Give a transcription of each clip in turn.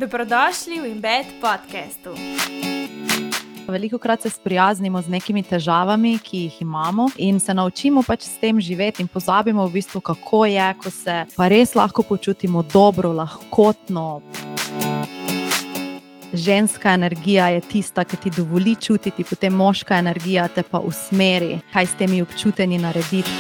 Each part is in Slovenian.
Dobrodošli v Embed podcastu. Velikokrat se sprijaznimo z nekimi težavami, ki jih imamo in se naučimo pač s tem živeti in pozabimo v bistvu, kako je, ko se pa res lahko počutimo dobro, lahkotno. Ženska energija je tista, ki ti dovoli čutiti, potem moška energija te pa usmeri, kaj s temi občutenji narediti.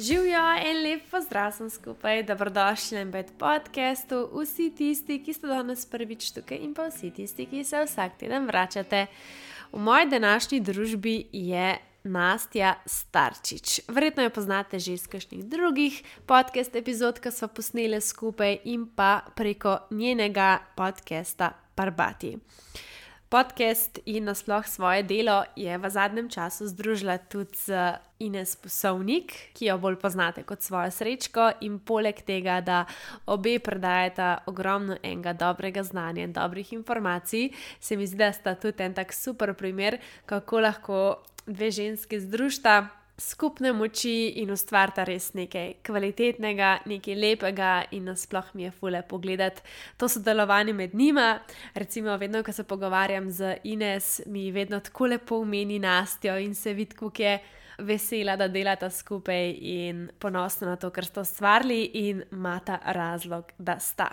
Živijo en lep pozdrav sem skupaj, dobrodošli na Embed podcastu, vsi tisti, ki ste danes prvič tukaj in pa vsi tisti, ki se vsak teden vračate. V moji današnji družbi je Nastja Starčič. Verjetno jo poznate že iz kakšnih drugih podcast epizod, ki sva posneli skupaj in pa preko njenega podcasta Parbati. Podcast in nasploh svoje delo je v zadnjem času združila tudi z Ines Posovnik, ki jo bolj poznate kot svojo Srečko, in poleg tega, da obe predajata ogromno enega dobrega znanja in dobrih informacij, se mi zdi, da sta tudi en tak super primer, kako lahko dve ženski združita skupne moči in ustvarita res nekaj kvalitetnega, nekaj lepega in nasploh mi je ful lepo gledati to sodelovanje med njima. Recimo, vedno, ko se pogovarjam z Ines, mi vedno tako lepo omeni Nastjo in se vidi, kako je vesela, da delata skupaj in ponosna na to, kar sta ustvarili in imata razlog, da sta.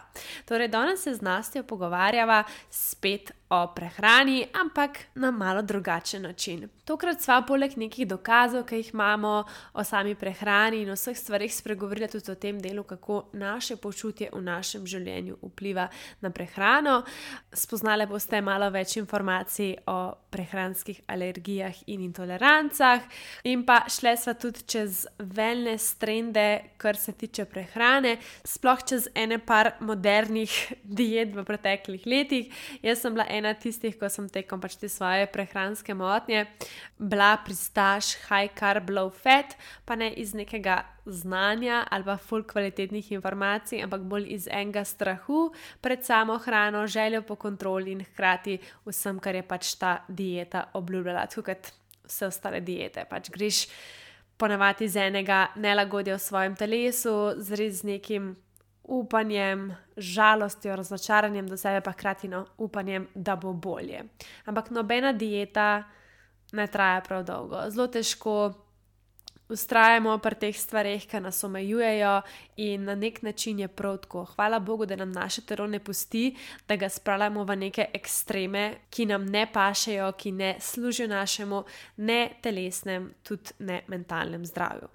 Torej, danes se z Nastjo pogovarjava spet o prehrani, ampak na malo drugačen način. Tokrat sva poleg nekih dokazov, ki jih imamo o sami prehrani in o vseh stvarih spregovorila tudi o tem delu, kako naše počutje v našem življenju vpliva na prehrano. Spoznali boste malo več informacij o prehranskih alergijah in intolerancah in pa šle sva tudi čez wellness trende, kar se tiče prehrane, sploh čez ene par modernih diet v preteklih letih. Jaz sem bila ena tistih, ko sem tekom pač te svoje prehranske motnje bila pristaš high carb, low fat, pa ne iz nekega znanja ali pa ful kvalitetnih informacij, ampak bolj iz enega strahu pred samo hrano, željo po kontroli in hkrati vsem, kar je pač ta dieta obljubljala, tako kot vse ostale diete. Pač greš ponavadi iz enega nelagodja v svojem telesu, z nekim upanjem, žalostjo, razočaranjem do sebe, pa hkrati upanjem, da bo bolje. Ampak nobena dieta ne traja prav dolgo. Zelo težko vztrajamo pri teh stvareh, ki nas omejujejo in na nek način je prav tako. Hvala Bogu, da nam naše telo ne pusti, da ga spravljamo v neke ekstreme, ki nam ne pašejo, ki ne služijo našemu ne telesnem, tudi ne mentalnem zdravju.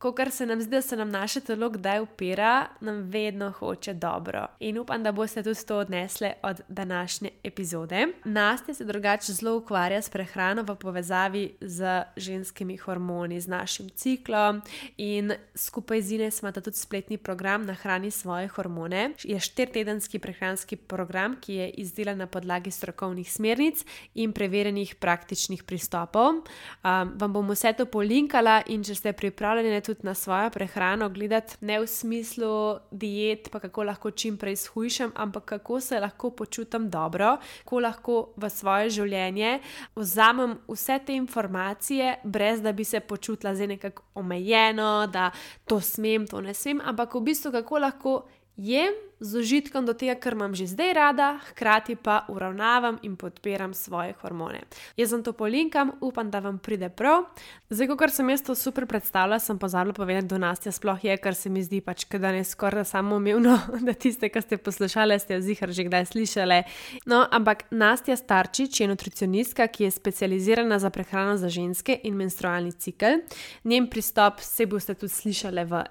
Kakor se nam zdi, da se nam naše telo kdaj upira, nam vedno hoče dobro. In upam, da boste tudi to odnesli od današnje epizode. Nastja se drugače zelo ukvarja s prehrano v povezavi z ženskimi hormoni, z našim ciklom in skupaj z Ines imata tudi spletni program Nahrani svoje hormone. Je 4-tedenski prehranski program, ki je izdelan na podlagi strokovnih smernic in preverjenih praktičnih pristopov. Vam bom vse to polinkala in če ste pripravljeni tudi na svojo prehrano gledati ne v smislu diet, pa kako lahko čim prej shujšam, ampak kako se lahko počutim dobro, kako lahko v svoje življenje vzamem vse te informacije, brez da bi se počutila zdaj nekako omejeno, da to smem, to ne smem, ampak v bistvu kako lahko jem z užitkom do tega, kar imam že zdaj rada, hkrati pa uravnavam in podpiram svoje hormone. Jaz vam to polinkam, upam, da vam pride prav. Zdaj, kakor sem jaz to super predstavila, sem pozabila povedati, da Nastja sploh je, kar se mi zdi pač, da ne skoraj samoumevno, da tiste, ki ste poslušali, ste jo ziher že kdaj slišali. No, ampak Nastja Starčič je nutricionistka, ki je specializirana za prehrano za ženske in menstrualni cikel. Njen pristop, se boste tudi slišali v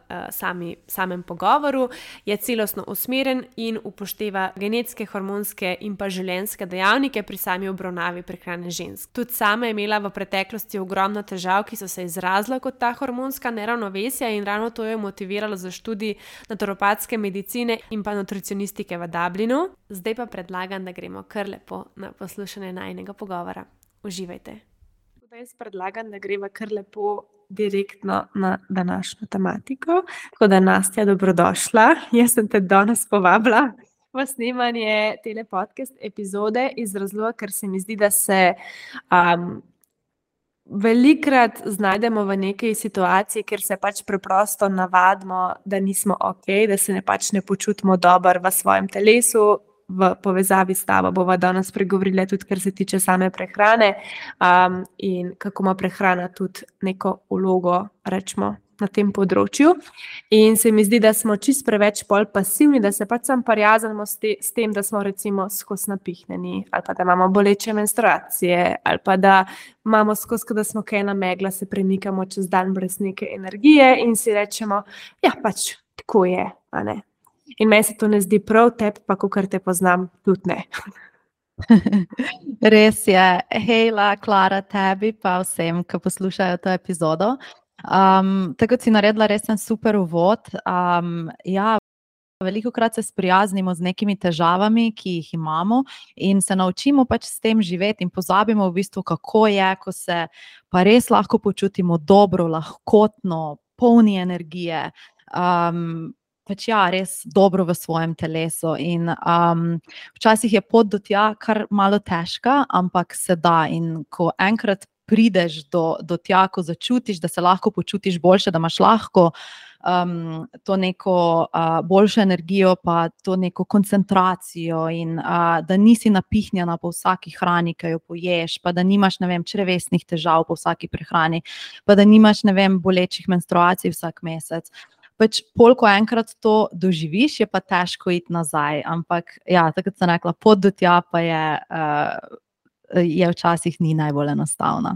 samem pogovoru, je celostno usmerjen in upošteva genetske, hormonske in pa življenjske dejavnike pri sami obravnavi prehrane žensk. Tudi sama je imela v preteklosti ogromno težav, ki so se izrazile kot ta hormonska neravnovesja in ravno to jo je motiviralo za študij naturopatske medicine in pa nutricionistike v Dublinu. Zdaj pa predlagam, da gremo kar lepo na poslušanje najinega pogovora. Uživajte. Jaz predlagam, da greva kar lepo direktno na današnjo tematiko. Tako da, Nastja, dobrodošla. Jaz sem te danes povabila v snemanje tele podcast epizode iz razloga, ker se mi zdi, da se velikrat znajdemo v neki situaciji, kjer se pač preprosto navadimo, da nismo ok, da se ne počutimo dobro v svojem telesu. V povezavi s tabo bova danes pregovorila tudi, kar se tiče same prehrane, in kako ima prehrana tudi neko vlogo, rečemo, na tem področju. In se mi zdi, da smo čisto preveč pasivni, da se pač sam prijaznimo s tem, da smo recimo skozi napihnjeni, ali pa da imamo boleče menstruacije, ali pa da imamo skozi, da smo kaj namegla, se premikamo čez dan brez neke energije in si rečemo, ja, pač tako je, a ne. In meni se to ne zdi prav, tebi pa, kakor te poznam, tudi ne. Res je. Hejla, Klara, tebi pa vsem, ki poslušajo to epizodo. Tako si naredila res en super uvod. Ja, velikokrat se sprijaznimo z nekimi težavami, ki jih imamo in se naučimo pač s tem živeti in pozabimo v bistvu, kako je, ko se pa res lahko počutimo dobro, lahkotno, polni energije. Pač ja, res dobro v svojem telesu in včasih je pot do tja kar malo težka, ampak se da, in ko enkrat prideš do tja, ko začutiš, da se lahko počutiš boljše, da imaš lahko to neko boljšo energijo, pa to neko koncentracijo in da nisi napihnjena po vsaki hrani, ki jo poješ, pa da nimaš, ne vem, črevesnih težav po vsaki prehrani, pa da nimaš, ne vem, bolečih menstruacij vsak mesec. Pač pol, ko enkrat to doživiš, je pa težko iti nazaj, ampak ja, tako sem rekla, pot do tja pa je včasih ni najbolj enostavna.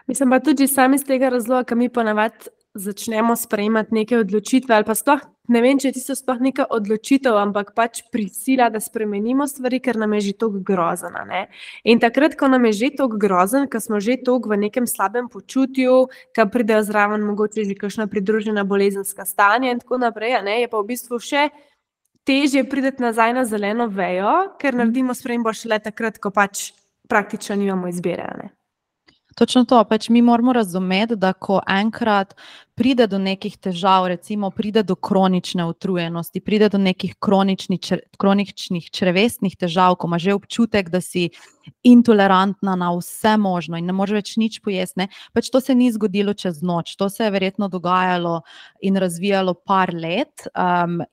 Mislim pa tudi sami iz tega razloga, ker mi ponavadi začnemo sprejemati neke odločitve ali pa sploh, ne vem, če je tisto sploh neka odločitev, ampak pač prisila, da spremenimo stvari, ker nam je že toliko grozen, ne. In takrat, ko nam je že toliko grozen, ko smo že toliko v nekem slabem počutju, ko pridejo zraven mogoče že kakšna pridružena bolezenska stanja in tako naprej, ne, je pa v bistvu še težje priti nazaj na zeleno vejo, ker naredimo spremembo šele takrat, ko pač praktično nimamo izbire, ne. Točno to, pač mi moramo razumeti, da ko enkrat pride do nekih težav, recimo pride do kronične utrujenosti, pride do nekih kroničnih črevesnih težav, ko imaš že občutek, da si intolerantna na vse možno in ne moreš več nič pojesti, ne, pač to se ni zgodilo čez noč, to se je verjetno dogajalo in razvijalo par let,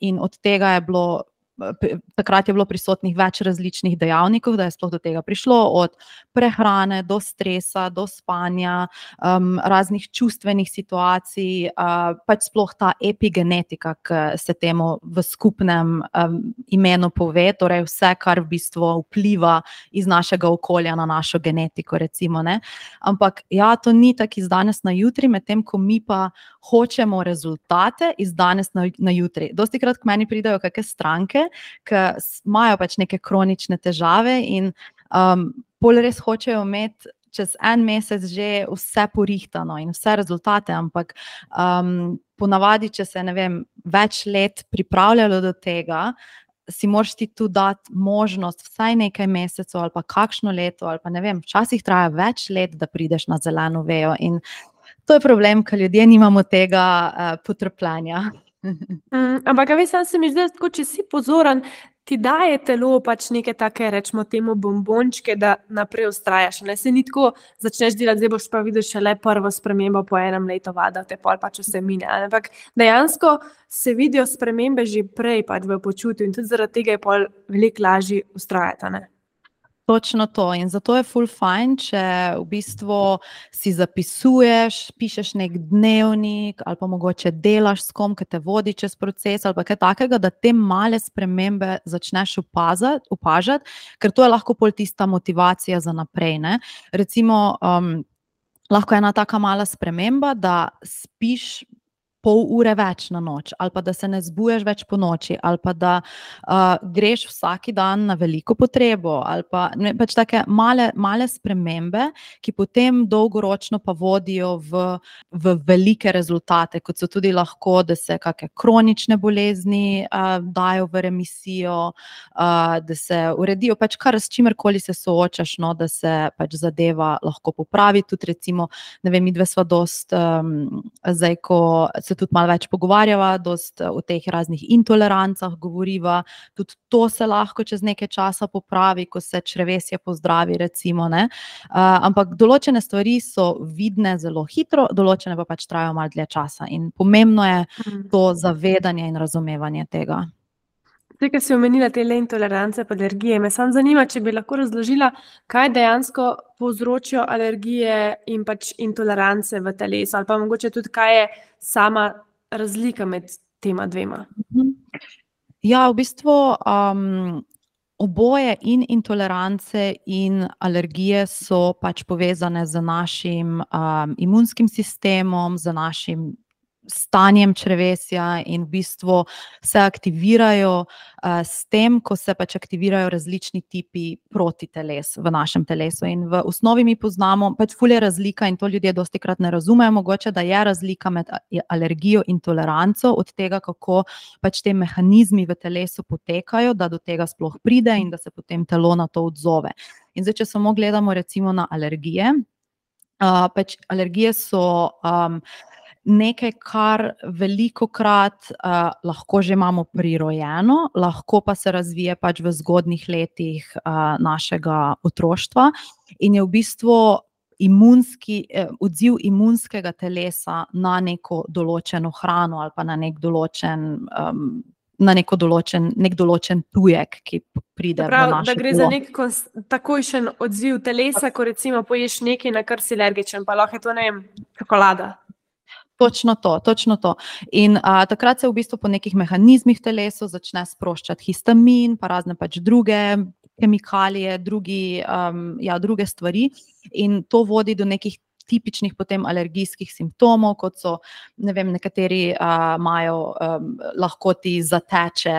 in od tega je bilo takrat je bilo prisotnih več različnih dejavnikov, da je sploh do tega prišlo, od prehrane do stresa, do spanja, raznih čustvenih situacij, pač sploh ta epigenetika, ki se temu v skupnem imenu pove, torej vse, kar v bistvu vpliva iz našega okolja na našo genetiko, recimo, ne. Ampak ja, to ni tako iz danes na jutri, medtem ko mi pa hočemo rezultate iz danes na jutri. Dostikrat k meni pridejo kakšne stranke, ki imajo pač neke kronične težave in pol res hočejo imeti čez en mesec že vse porihtano in vse rezultate, ampak ponavadi, če se, ne vem, več let pripravljalo do tega, si moraš ti tu dati možnost vsaj nekaj mesecev ali pa kakšno leto ali pa ne vem, včasih traja več let, da prideš na zeleno vejo in to je problem, ker ljudje nimamo tega potrpljenja. Ampak, a veš, sam se mi zdi, tako, če si pozoren, ti daje telo pač neke take, rečemo temu, bombončke, da naprej vztrajaš, ne, se ni tako, začneš delati, zdaj boš pa videl šele prvo spremembo po enem letu vada, te pol pač vse mine, ampak dejansko se vidijo spremembe že prej pač v počutju in tudi zaradi tega je pol veliko lažje vztrajati, ne. Točno to in zato je ful fajn, če v bistvu si zapisuješ, pišeš nek dnevnik ali pa mogoče delaš s kom, ki te vodi čez proces ali pa kaj takega, da te male spremembe začneš opažati, ker to je lahko pol tista motivacija za naprej, ne. Recimo, lahko je ena taka mala sprememba, da spiš pol ure več na noč, ali pa da se ne zbujaš več po noči, ali pa da greš vsak dan na veliko potrebo, ali pa ne, pač take male spremembe, ki potem dolgoročno pa vodijo v velike rezultate, kot so tudi lahko, da se kakšne kronične bolezni dajo v remisijo, da se uredijo, pač kar s čimerkoli se soočaš, no, da se pač zadeva lahko popravi, tudi recimo, ne vem, midve sva dosti, zdaj, ko se se tudi malo več pogovarjava, dosti o teh raznih intolerancah govoriva, tudi to se lahko čez nekaj časa popravi, ko se črevesje pozdravi, recimo, ne. Ampak določene stvari so vidne zelo hitro, določene pa pač trajajo malo dlje časa in pomembno je to zavedanje in razumevanje tega. Zdaj, ko si omenila te intolerance pa alergije, me samo zanima, če bi lahko razložila, kaj dejansko povzročijo alergije in pač intolerance v telesu, ali pa mogoče tudi, kaj je sama razlika med tema dvema. Ja, v bistvu oboje in intolerance in alergije so pač povezane z našim imunskim sistemom, z našim stanjem črevesja in v bistvu se aktivirajo s tem, ko se pač aktivirajo različni tipi protiteles v našem telesu. In v osnovi mi poznamo, pač ful je razlika in to ljudje dostikrat ne razumejo, mogoče, da je razlika med alergijo in toleranco od tega, kako pač te mehanizmi v telesu potekajo, da do tega sploh pride in da se potem telo na to odzove. In zdaj, če samo gledamo recimo na alergije, pač alergije so nekaj, kar velikokrat lahko že imamo prirojeno, lahko pa se razvije pač v zgodnjih letih našega otroštva in je v bistvu odziv imunskega telesa na neko določeno hrano ali pa na nek določen tujek, ki pride v naše telo. Da gre za nek takojšen odziv telesa, ko recimo poješ nekaj, na kar si alergičen, pa lahko je to, ne vem, čokolada. Točno to. In takrat se v bistvu po nekih mehanizmih v telesu začne sproščati histamin, pa razne pač druge kemikalije, druge stvari in to vodi do nekih tipičnih potem alergijskih simptomov, kot so, ne vem, nekateri imajo, lahko ti zateče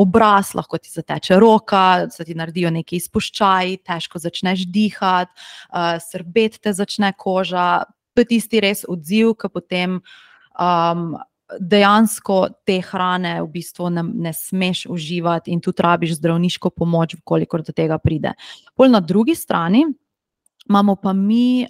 obraz, lahko ti zateče roka, se ti naredijo neki izpuščaji, težko začneš dihati, srbet te začne koža. To je tisti res odziv, ki potem dejansko te hrane v bistvu ne smeš uživati in tudi rabiš zdravniško pomoč, kolikor do tega pride. Pol na drugi strani imamo pa mi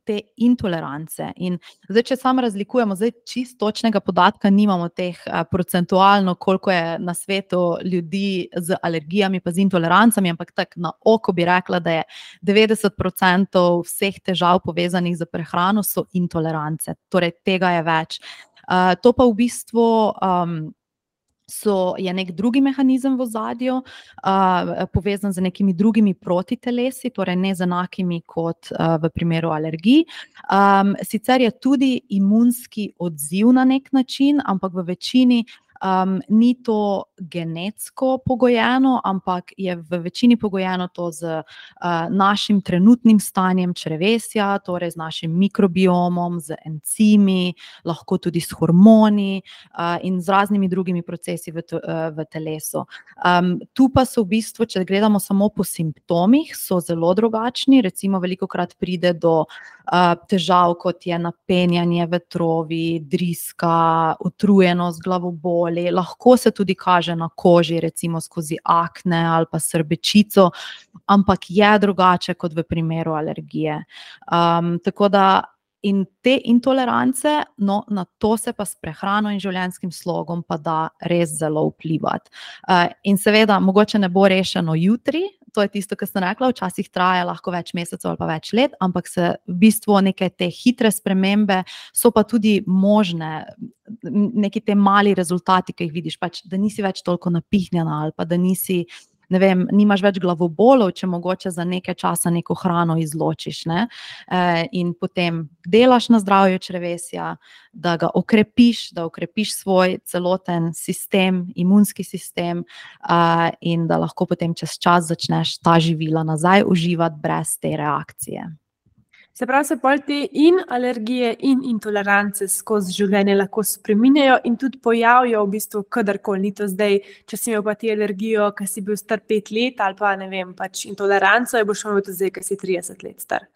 te intolerance in zdaj, če samo razlikujemo, zdaj čisto točnega podatka nimamo teh procentualno, koliko je na svetu ljudi z alergijami pa z intolerancami, ampak tako na oko bi rekla, da je 90% vseh težav povezanih z prehrano so intolerance, torej tega je več. To pa v bistvu je nek drugi mehanizem v ozadju, povezan z nekimi drugimi protitelesi, torej ne z enakimi kot v primeru alergij. Sicer je tudi imunski odziv na nek način, ampak v večini ni to genetsko pogojeno, ampak je v večini pogojeno to z našim trenutnim stanjem črevesja, torej z našim mikrobiomom, z encimi, lahko tudi s hormoni in z raznimi drugimi procesi v telesu. Tu pa so v bistvu, če gledamo samo po simptomih, so zelo drugačni, recimo velikokrat pride do težav, kot je napenjanje, vetrovi, driska, utrujenost, glavoboli, lahko se tudi kaže na koži, recimo skozi akne ali pa srbečico, ampak je drugače kot v primeru alergije. Tako da in te intolerance, no, na to se pa s prehrano in življenjskim slogom pa da res zelo vplivati. In seveda, mogoče ne bo rešeno jutri, to je tisto, kar sem rekla, včasih traja lahko več mesecev ali pa več let, ampak se v bistvu neke te hitre spremembe so pa tudi možne, neki te mali rezultati, ki jih vidiš, pač, da nisi več toliko napihnjena ali pa da nisi, ne vem, nimaš več glavobolov, če mogoče za nekaj časa neko hrano izločiš, ne? In potem delaš na zdravju črevesja, da ga okrepiš, da okrepiš svoj celoten sistem, imunski sistem in da lahko potem čez čas začneš ta živila nazaj uživati brez te reakcije. Se pravi, se pol te in alergije in intolerance skozi življenje lahko spreminjajo in tudi pojavijo v bistvu kadarkoli, ni to zdaj, če si imel pa ti alergijo, ko si bil star 5 let ali pa ne vem, pač intoleranco je boš imel tudi zdaj, ko si 30 let star.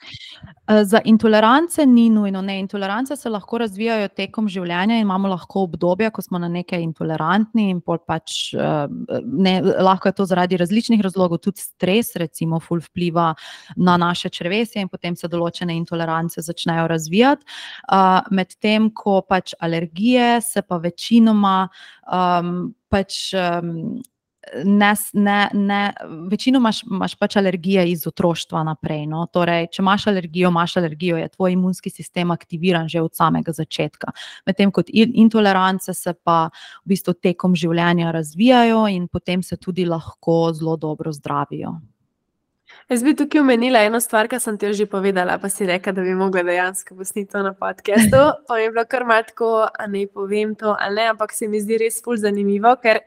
Za intolerance ni nujno, ne, intolerance se lahko razvijajo tekom življenja in imamo lahko obdobja, ko smo na nekaj intolerantni in pol pač lahko je to zaradi različnih razlogov, tudi stres recimo ful vpliva na naše črevesje in potem se določene določene intolerance začnejo razvijati, medtem ko pač alergije se pa večinoma večinoma imaš pač alergije iz otroštva naprej. No? Torej, če imaš alergijo, je tvoj imunski sistem aktiviran že od samega začetka. Medtem kot intolerance se pa v bistvu tekom življenja razvijajo in potem se tudi lahko zelo dobro zdravijo. Jaz bi tukaj omenila eno stvar, ki sem ti jo že povedala, pa si rekla, da bi mogla dejansko posneti to na podcastu. Pa mi je bilo kar malo tako, a ne povem to, ali ne, ampak se mi zdi res ful zanimivo, ker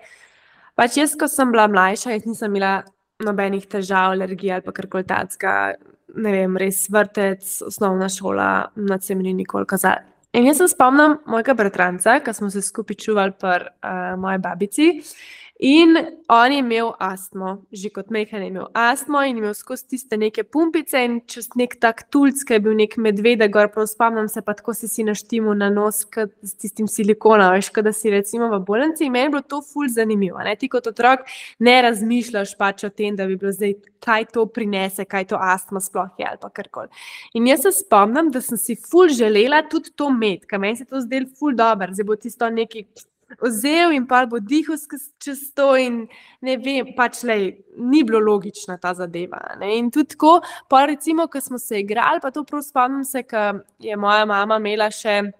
pač jaz, ko sem bila mlajša, jaz nisem imela nobenih težav, alergij ali pa karkoli takega, ne vem, res vrtec, osnovna šola, nič se mi ni nikoli kazalo. In jaz se spomnim mojega bratranca, ko smo se skupaj čuvali pri moji babici, in on je imel astmo, že kot majhen je imel astmo in imel skozi tiste neke pumpice in čez nek tak tulc, ki je bil nek medvede gor, prav spomnim se, pa tako si naštimil na nos s tistim silikonom, veš, kada si recimo v bolnici, in meni je bilo to ful zanimivo, ne? Ti kot otrok ne razmišljaš pač o tem, da bi bilo zdaj, kaj to prinese, kaj to astma sploh je ali pa karkoli. In jaz se spomnim, da sem si ful želela tudi to imeti, ker meni se to zdelo ful dobro, zdaj bo tisto neki vzel in pa bo dihal čez to in ne vem, pač ni bilo logična ta zadeva. Ne? In tudi tako, pa recimo, ko smo se igrali, pa to prav spomnim se, ko je moja mama imela še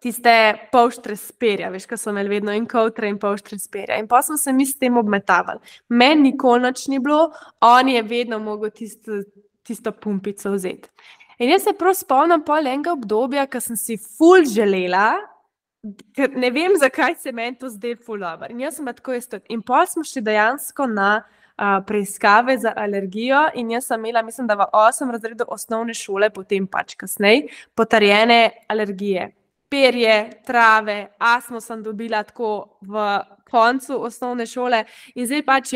tiste polštre s perja, veš, ko so imeli vedno in kovtre in polštre s perja. In pa smo se mi s tem obmetavali. Meni nikoli nič ni bilo, on je vedno mogel tisto pumpico vzeti. In jaz se prav spomnim pol enega obdobja, ko sem si ful želela, ker ne vem, zakaj se meni to zdaj ful dobro. In jaz sem tako tudi. In pol smo šli dejansko na preiskave za alergijo in jaz sem imela, mislim, da v 8 razredu osnovne šole, potem pač kasneje, potrjene alergije. Perje, trave, astmo sem dobila tako v koncu osnovne šole in zdaj pač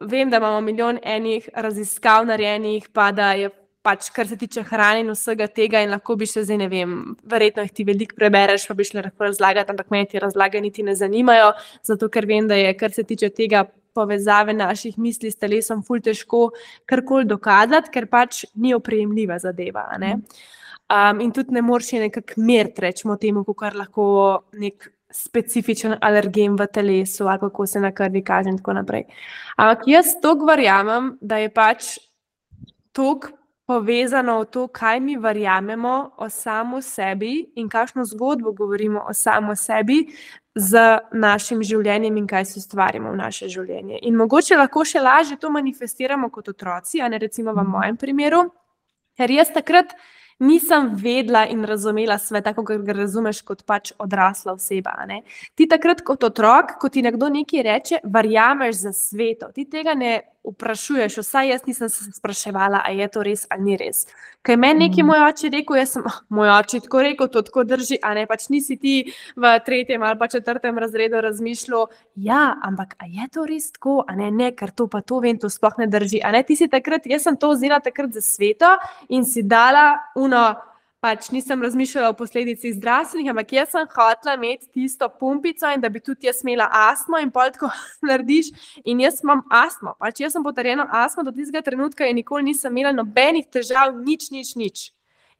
vem, da imamo milijon enih raziskav narejenih, pa da je pač, kar se tiče hrane in vsega tega in lahko bi še zdaj, ne vem, verjetno jih ti veliko prebereš, pa bi šli lahko razlagati, ampak meni ti razlage niti ne zanimajo, zato ker vem, da je, kar se tiče tega povezave naših misli s telesom, ful težko karkoli dokazati, ker pač ni oprijemljiva zadeva, ne? In tudi ne moreš nekako meriti, rečemo temu, kakor lahko nek specifičen alergen v telesu ali kako se na krvi kaže in tako naprej. Ampak jaz toliko verjamem, da je pač toliko povezano v to, kaj mi verjamemo o samo sebi in kakšno zgodbo govorimo o samo sebi z našim življenjem in kaj se ustvarimo v naše življenje. In mogoče lahko še lažje to manifestiramo kot otroci, a ne recimo v mojem primeru, ker jaz takrat nisem vedela in razumela sveta, kako ga razumeš kot pač odrasla oseba. Ne? Ti takrat kot otrok, ko ti nekdo nekaj reče, verjameš za sveto. Ti tega ne vprašuješ, vsaj jaz nisem se spraševala, a je to res ali ni res. Kaj meni nekaj moj oče rekel, jaz sem moj oče tako rekel, to tako drži, a ne, pač nisi ti v 3. ali pa 4. razredu razmišljal, ampak a je to res tako, a ne, ker to pa to vem, to sploh ne drži, a ne, ti si takrat, jaz sem to vzela takrat za sveto in si dala pač nisem razmišljala o posledicih zdravstvenih, ampak jaz sem hotela imeti tisto pumpico in da bi tudi jaz imela astmo in pol tako narediš in jaz imam astmo. Pač jaz sem potrjeno astmo do tistega trenutka in nikoli nisem imela nobenih težav, nič.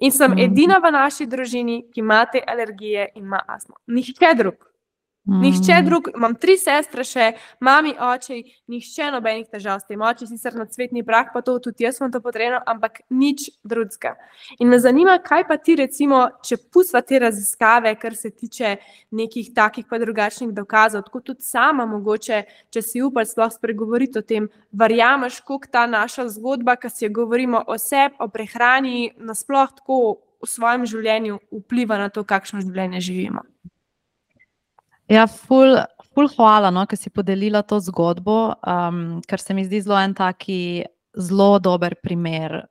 In sem edina v naši družini, ki ima te alergije in ima astmo. Nihče drug, imam 3 sestre še, mami, oči, nihče nobenih težav s tem. Oči sicer na cvetni prah, pa to tudi jaz sem to potrjeno, ampak nič drugega. In me zanima, kaj pa ti recimo, če pustiva te raziskave, kar se tiče nekih takih pa drugačnih dokazov, tako tudi sama mogoče, če si upal sploh spregovoriti o tem, verjameš, koliko ta naša zgodba, ki si jo govorimo o sebi, o prehrani, nasploh tako v svojem življenju vpliva na to, kakšno življenje živimo. Ful hvala, ker si podelila to zgodbo, ker se mi zdi zelo en taki zelo dober primer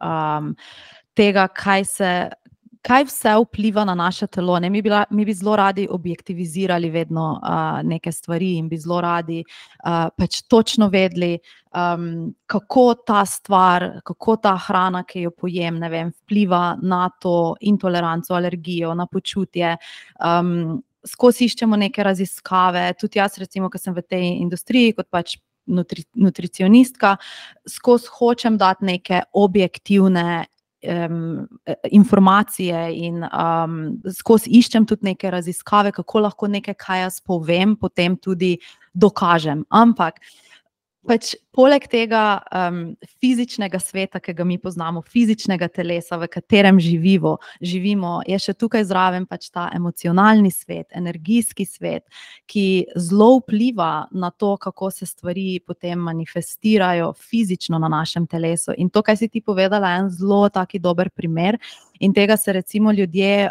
tega, kaj vse vpliva na naše telo. Ne? Mi bi zelo radi objektivizirali vedno neke stvari in bi zelo radi pač točno vedeli, kako ta stvar, kako ta hrana, ki jo pojem, ne vem, vpliva na to intoleranco, alergijo, na počutje. Skozi iščemo neke raziskave, tudi jaz recimo, ko sem v tej industriji kot pač nutricionistka, skozi hočem dati neke objektivne informacije in skozi iščem tudi neke raziskave, kako lahko nekaj, kaj jaz povem, potem tudi dokažem. Ampak pač poleg tega fizičnega sveta, ki ga mi poznamo, fizičnega telesa, v katerem živimo, je še tukaj zraven pač ta emocionalni svet, energijski svet, ki zelo vpliva na to, kako se stvari potem manifestirajo fizično na našem telesu. In to, kaj si ti povedala, je en zelo taki dober primer in tega se recimo ljudje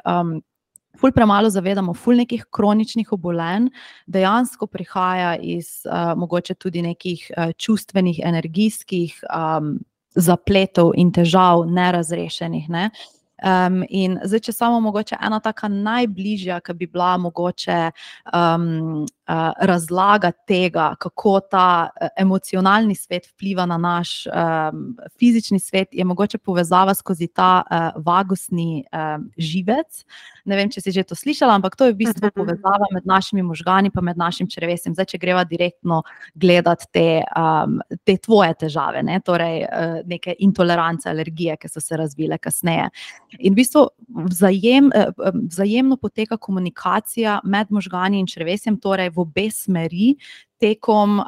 ful premalo zavedamo, ful nekih kroničnih obolenj dejansko prihaja iz mogoče tudi nekih čustvenih, energijskih zapletov in težav nerazrešenih, ne? In zdaj, če samo mogoče ena taka najbližja, ki bi bila mogoče razlaga tega, kako ta emocionalni svet vpliva na naš fizični svet, je mogoče povezava skozi ta vagusni živec. Ne vem, če si že to slišala, ampak to je v bistvu povezava med našimi možgani pa med našim črevesjem. Zdaj, če greva direktno gledati te tvoje težave, ne? Torej neke intolerance, alergije, ki so se razvile kasneje. In v bistvu vzajemno poteka komunikacija med možgani in črevesjem, torej v obe smeri, tekom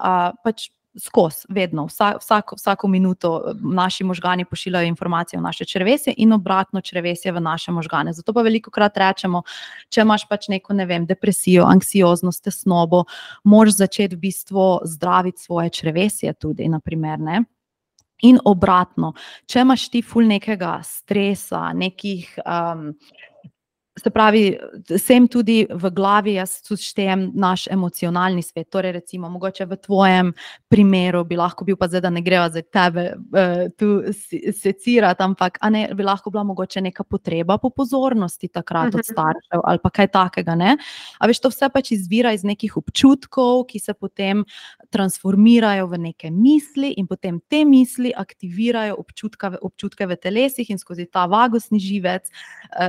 pač skozi, vedno, vsako minuto naši možgani pošiljajo informacije v naše črevesje in obratno črevesje v naše možgane. Zato pa velikokrat rečemo, če imaš pač neko, ne vem, depresijo, anksioznost, tesnobo, moraš začeti v bistvu zdraviti svoje črevesje tudi, na primer, ne? In obratno, če imaš ti ful nekega stresa, nekih, se pravi, sem tudi v glavi, jaz tudi štejem naš emocionalni svet, torej recimo, mogoče v tvojem primeru bi lahko bil, pa zdaj, da ne greva zdaj tebe tu secirati, ampak bi lahko bila mogoče neka potreba po pozornosti takrat od staršev ali pa kaj takega, ne? A veš, to vse pač izvira iz nekih občutkov, ki se potem transformirajo v neke misli in potem te misli aktivirajo občutke v telesih in skozi ta vagusni živec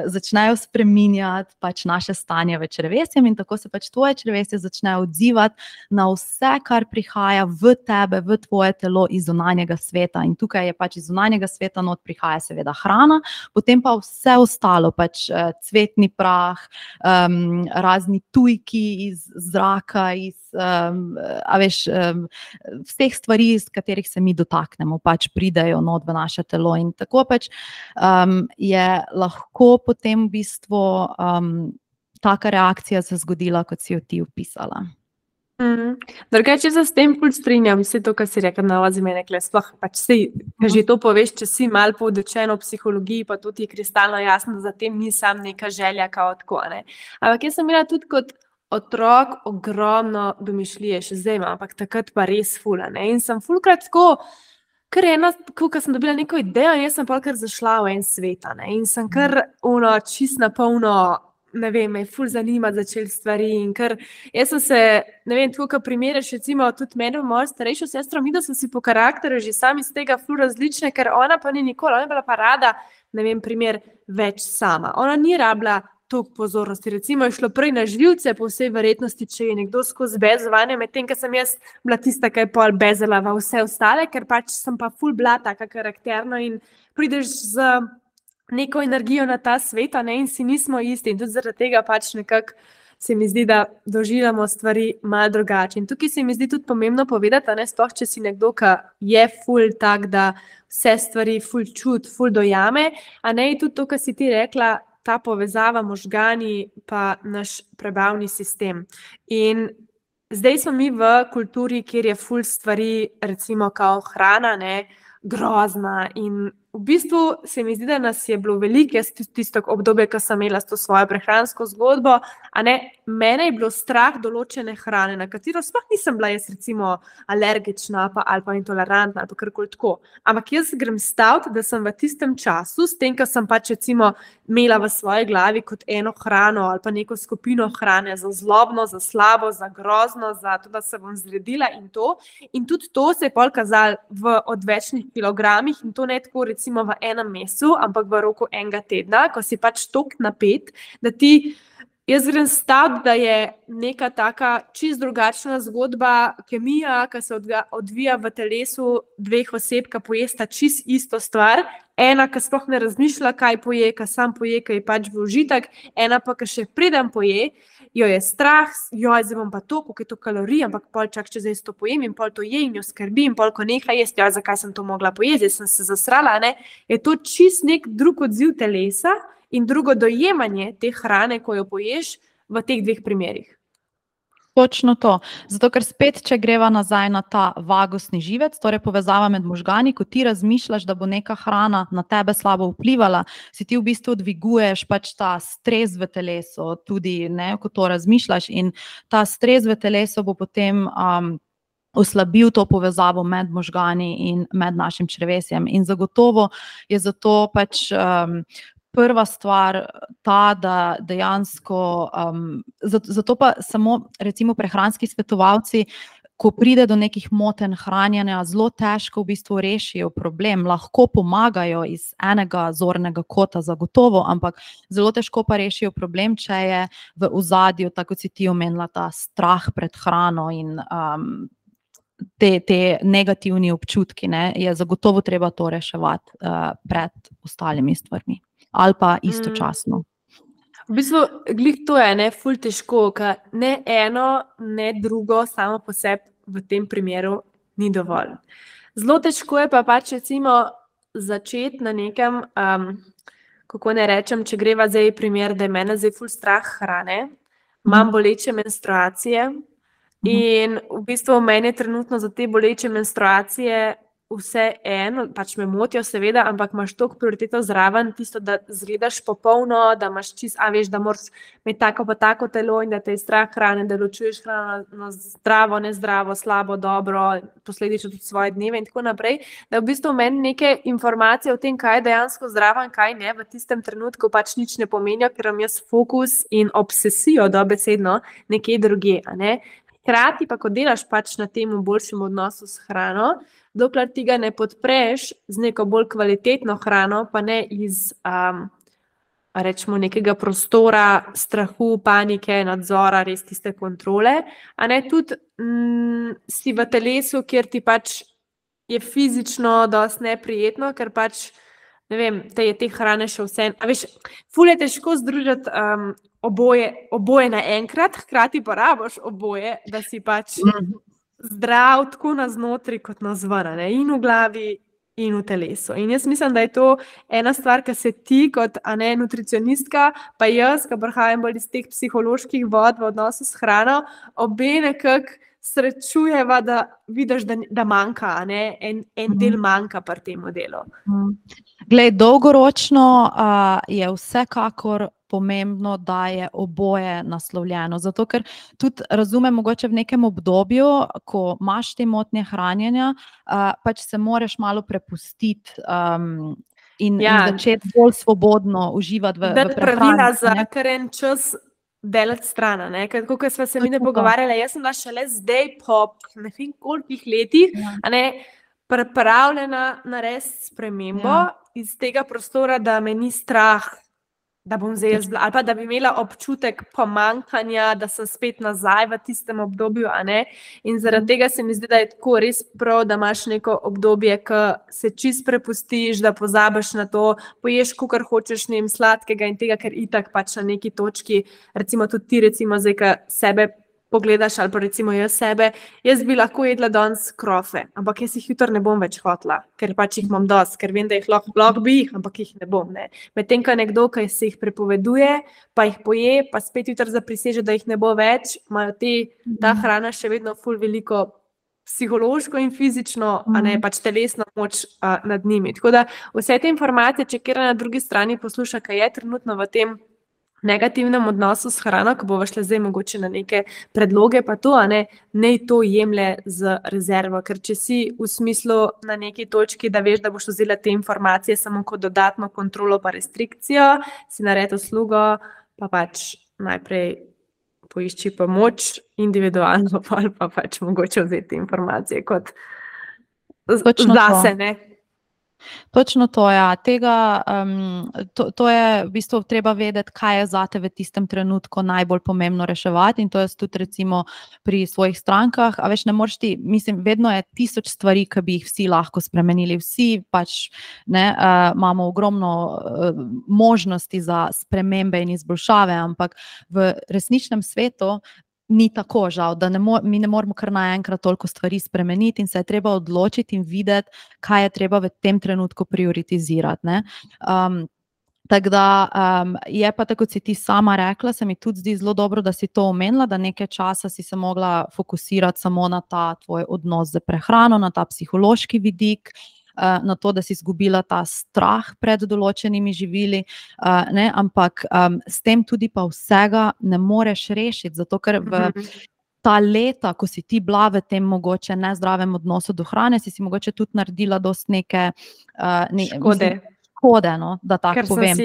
začnejo spremenjati pač naše stanje v črevesjem in tako se pač tvoje črevesje začne odzivati na vse, kar prihaja v tebe, v tvoje telo iz zunanjega sveta. In tukaj je pač iz zunanjega sveta not prihaja seveda hrana, potem pa vse ostalo, pač cvetni prah, razni tujki iz zraka, vseh stvari, iz katerih se mi dotaknemo, pač pridejo not v naše telo in tako pač je lahko potem v bistvu taka reakcija se zgodila, kot si jo ti opisala. Drugače, se s tem ful strinjam, vse to, kar si rekla, nalazi mene, sploh pač že to poveš, če si malo poučen o psihologiji, pa tudi je kristalno jasno, da za tem ni sam neka želja kao tako, ne. Ampak jaz sem imela tudi kot otrok ogromno domišljije, še zdaj imam, ampak takrat pa res ful, ne, in sem fulkrat tako, kar ena, ko sem dobila neko idejo, jaz sem kar zašla v en svet, ne, in sem kar čist na polno, ne vem, me ful zanimati začeli stvari in ker jaz sem se, ne vem, tako, ko primerjaš recimo tudi mene, mojo starejšo sestro, mi da sem si po karakterju že sami iz tega ful različne, ker ona pa ni nikoli, ona je bila pa rada, ne vem, primer, več sama. Ona ni rabila toliko pozornosti, recimo je šlo prej na živce, po vsej verjetnosti, če je nekdo skozi bezovanje, medtem, ker sem jaz bila tista, ki je pol bezala v vse ostale, ker pač sem pa ful bila taka karakterno in prideš z neko energijo na ta svet, ne, in si nismo isti in tudi zaradi tega pač nekako se mi zdi, da doživljamo stvari malo drugače. In tukaj se mi zdi tudi pomembno povedati, ne, sploh če si nekdo, ki je ful tak, da vse stvari ful čut, ful dojame, a ne, tudi to, kar si ti rekla, ta povezava možgani pa naš prebavni sistem. In zdaj smo mi v kulturi, kjer je ful stvari, recimo kao hrana, ne, grozna in v bistvu se mi zdi, da nas je bilo veliko, jaz tisto obdobje, ko sem imela s to svojo prehransko zgodbo, a ne, mene je bilo strah določene hrane, na katero sploh nisem bila jaz recimo alergična ali pa intolerantna ali pa karkoli tako. Ampak jaz grem staviti, da sem v tistem času, s tem, ko sem pač recimo imela v svoji glavi kot eno hrano ali pa neko skupino hrane za zlobno, za slabo, za grozno, za to, da se bom zredila in to. In tudi to se je pol kazalo v odvečnih kilogramih in to ne tako recimo v enem mesecu, ampak v roku enega tedna, ko si pač toliko napet, da ti, jaz grem staviti, da je neka taka čist drugačna zgodba, kemija, ki se odvija v telesu dveh oseb, ki pojesta čist isto stvar, ena, ki sploh ne razmišlja, kaj poje, ki sam poje, ki je pač v užitek, ena pa, ki še preden poje, jo je strah, zdaj bom pa to, koliko je to kalorij, ampak pol čak, če zdaj to pojem in pol to je in jo skrbi in pol, ko neha jesti, zakaj sem to mogla pojesti, sem se zasrala, ne? Je to čist nek drug odziv telesa in drugo dojemanje te hrane, ko jo poješ v teh dveh primerih. Točno to. Zato, ker spet, če greva nazaj na ta vagusni živec, torej povezava med možgani, ko ti razmišljaš, da bo neka hrana na tebe slabo vplivala, si ti v bistvu dviguješ pač ta stres v telesu, tudi ne, ko to razmišljaš, in ta stres v telesu bo potem oslabil to povezavo med možgani in med našim črevesjem. In zagotovo je zato pač prva stvar ta, da dejansko, zato pa samo recimo prehranski svetovalci, ko pride do nekih motenj hranjenja, zelo težko v bistvu rešijo problem, lahko pomagajo iz enega zornega kota zagotovo, ampak zelo težko pa rešijo problem, če je v ozadju, tako kot si ti omenila, ta strah pred hrano in te negativni občutki, ne, je zagotovo treba to reševati pred ostalimi stvarmi. Ali pa istočasno. V bistvu, glih to je, ne, ful težko, ker ne eno, ne drugo samo po sebi v tem primeru ni dovolj. Zelo težko je pa pač recimo začeti na nekem, kako ne rečem, če greva zdaj primer, da je mene zdaj ful strah hrane, imam boleče menstruacije in v bistvu meni je trenutno za te boleče menstruacije vse eno, pač me motijo seveda, ampak imaš toliko prioriteto zraven, tisto, da izgledaš popolno, da imaš čist, veš, da moraš imeti tako pa tako telo in da te je strah hrane, da ločuješ hrano zdravo, nezdravo, slabo, dobro, posledično tudi svoje dneve in tako naprej, da v bistvu meni neke informacije o tem, kaj je dejansko zdravo in kaj ne, v tistem trenutku pač nič ne pomenijo, ker imam jaz fokus in obsesijo dobesedno nekje drugje, a ne. Hkrati pa, ko delaš pač na tem boljšem odnosu s hrano, dokler ti ga ne podpreš z neko bolj kvalitetno hrano, pa ne iz rečemo nekega prostora, strahu, panike, nadzora, res tiste kontrole, a ne tudi si v telesu, kjer ti pač je fizično dosti neprijetno, ker pač, ne vem, te je te hrane še vse, a veš, ful je težko združiti oboje naenkrat, hkrati pa rabiš oboje, da si pač zdrav tako na znotri kot na zven, in v glavi in v telesu. In jaz mislim, da je to ena stvar, ki se ti kot nutricionistka, pa jaz, ki prihajam bolj iz teh psiholoških vod v odnosu s hrano, obe nekako srečujeva, da vidiš, da manjka, en del manjka pri tem delu. Glej, dolgoročno je vsekakor pomembno, da je oboje naslovljeno. Zato, ker tudi razumem, mogoče v nekem obdobju, ko imaš te motnje hranjenja, pač se moraš malo prepustiti in začeti bolj svobodno uživati v prehrani. Pravila za kar en čas delati stran, kako smo se mi ne pogovarjali, jaz sem bila šele zdaj po ne vem kolikih letih, pripravljena narediti spremembo iz tega prostora, da me ni strah, da bom zdaj jaz bila, ali pa da bi imela občutek pomanjkanja, da sem spet nazaj v tistem obdobju, in zaradi tega se mi zdi, da je tako res prav, da imaš neko obdobje, ki se čist prepustiš, da pozabiš na to, poješ, kakor hočeš, ne vem, sladkega in tega, ker itak pač na neki točki, recimo tudi ti, recimo zdaj, ki sebe pogledaš, ali pa recimo jaz sebe, jaz bi lahko jedla danes krofe, ampak jaz jih jutri ne bom več hotela, ker pač jih imam dosti, ker vem, da jih lahko bi jih, ampak jih ne bom. Medtem, ko nekdo, ki se jih prepoveduje, pa jih poje, pa spet jutri zapriseže, da jih ne bo več, imajo ta hrana še vedno ful veliko psihološko in fizično, pač telesno moč nad njimi. Tako da vse te informacije, če kjer na drugi strani posluša, kaj je trenutno v tem negativnem odnosu s hrano, ko bova šla zdaj mogoče na neke predloge, pa to, naj to jemlje z rezervo, ker če si v smislu na neki točki, da veš, da boš vzela te informacije samo kot dodatno kontrolo pa restrikcijo, si naredi uslugo, pa pač najprej poišči pomoč individualno, pa pač mogoče vzeti informacije kot zase, Točno to, ja. To je v bistvu treba vedeti, kaj je zate v tistem trenutku najbolj pomembno reševati, in to jaz tudi recimo pri svojih strankah, a veš, ne moreš ti, mislim, vedno je 1000 stvari, ki bi jih vsi lahko spremenili, vsi pač imamo ogromno možnosti za spremembe in izboljšave, ampak v resničnem svetu ni tako, žal, da mi ne moremo kar naenkrat toliko stvari spremeniti in se je treba odločiti in videti, kaj je treba v tem trenutku prioritizirati, ne. Tako da je pa, tako kot si ti sama rekla, se mi tudi zdi zelo dobro, da si to omenila, da nekaj časa si se mogla fokusirati samo na ta tvoj odnos z prehrano, na ta psihološki vidik, na to, da si izgubila ta strah pred določenimi živili, ne, ampak s tem tudi pa vsega ne moreš rešiti, zato ker v ta leta, ko si ti bila v tem mogoče nezdravem odnosu do hrane, si mogoče tudi naredila dosti neke škode, no, da tako povem.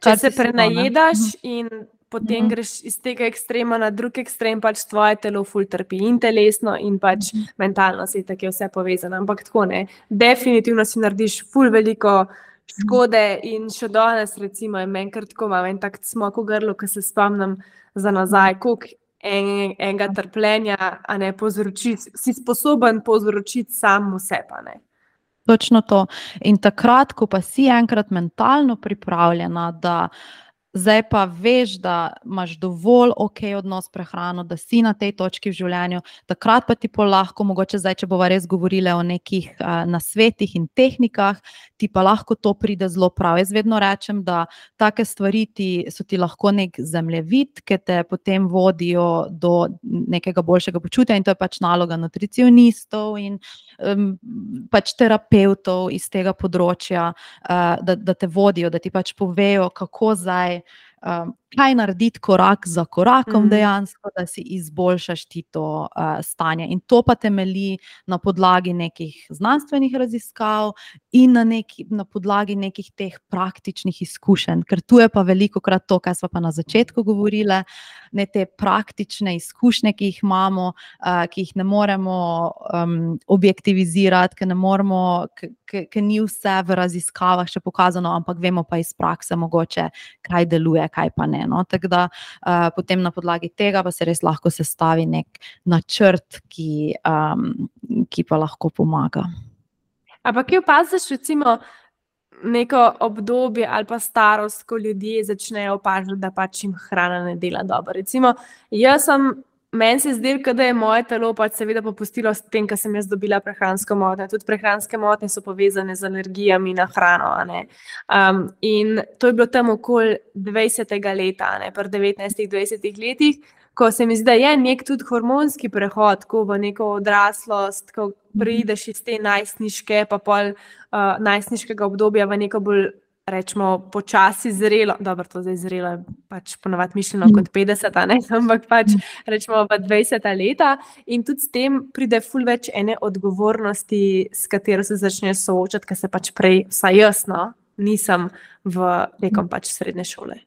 Če se prenajedaš in potem greš iz tega ekstrema na drug ekstrem, pač tvoje telo ful trpi in telesno in pač mentalno si tako je vse povezano, ampak tako ne. Definitivno si narediš ful veliko škode in še danes recimo je meni kar tako, imam en tak cmok v grlu, ko se spomnim za nazaj, koliko enega trpljenja, a ne, si sposoben povzročiti sam vse, pa ne. Točno to. In takrat, ko pa si enkrat mentalno pripravljena, da zdaj pa veš, da imaš dovolj odnos prehrano, da si na tej točki v življenju, takrat pa ti lahko, mogoče zdaj, če bova res govorila o nekih nasvetih in tehnikah, ti pa lahko to pride zelo prav. Jaz vedno rečem, da take stvari so ti lahko nek zemljevid, ki te potem vodijo do nekega boljšega počutja, in to je pač naloga nutricionistov in pač terapevtov iz tega področja, da te vodijo, da ti pač povejo, kako zdaj, kaj narediti korak za korakom dejansko, da si izboljšaš ti to stanje. In to pa temelji na podlagi nekih znanstvenih raziskav in na podlagi nekih teh praktičnih izkušenj, ker tu je pa velikokrat to, kar smo pa na začetku govorile, ne, te praktične izkušnje, ki jih imamo, ki jih ne moremo objektivizirati, ker ni vse v raziskavah še pokazano, ampak vemo pa iz prakse mogoče, kaj deluje, kaj pa ne. No? Tako da potem na podlagi tega pa se res lahko sestavi nek načrt, ki pa lahko pomaga. Ampak kje opaziš recimo neko obdobje ali pa starost, ko ljudje začnejo opažati, da pač jim hrana ne dela dobro? Recimo, meni se zdi, da je moje telo pač seveda popustilo s tem, ko sem jaz dobila prehransko motnjo. Tudi prehranske motnje so povezane z alergijami na hrano, a ne. In to je bilo tam okoli 20. leta, a ne, pri 19-20 letih, ko se mi zdi, da je nek tudi hormonski prehod, ko v neko odraslost, ko prideš iz te najstniške, pa pol najstniškega obdobja v neko bolj, rečemo, počasi zrelo, dobro, to zdaj zrelo je pač ponavadi mišljeno kot 50, ne, ampak pač rečemo v 20 leta, in tudi s tem pride ful več ene odgovornosti, s katero se začneš soočati, ker se pač prej, vsaj jaz, no, nisem tekom pač srednje šole.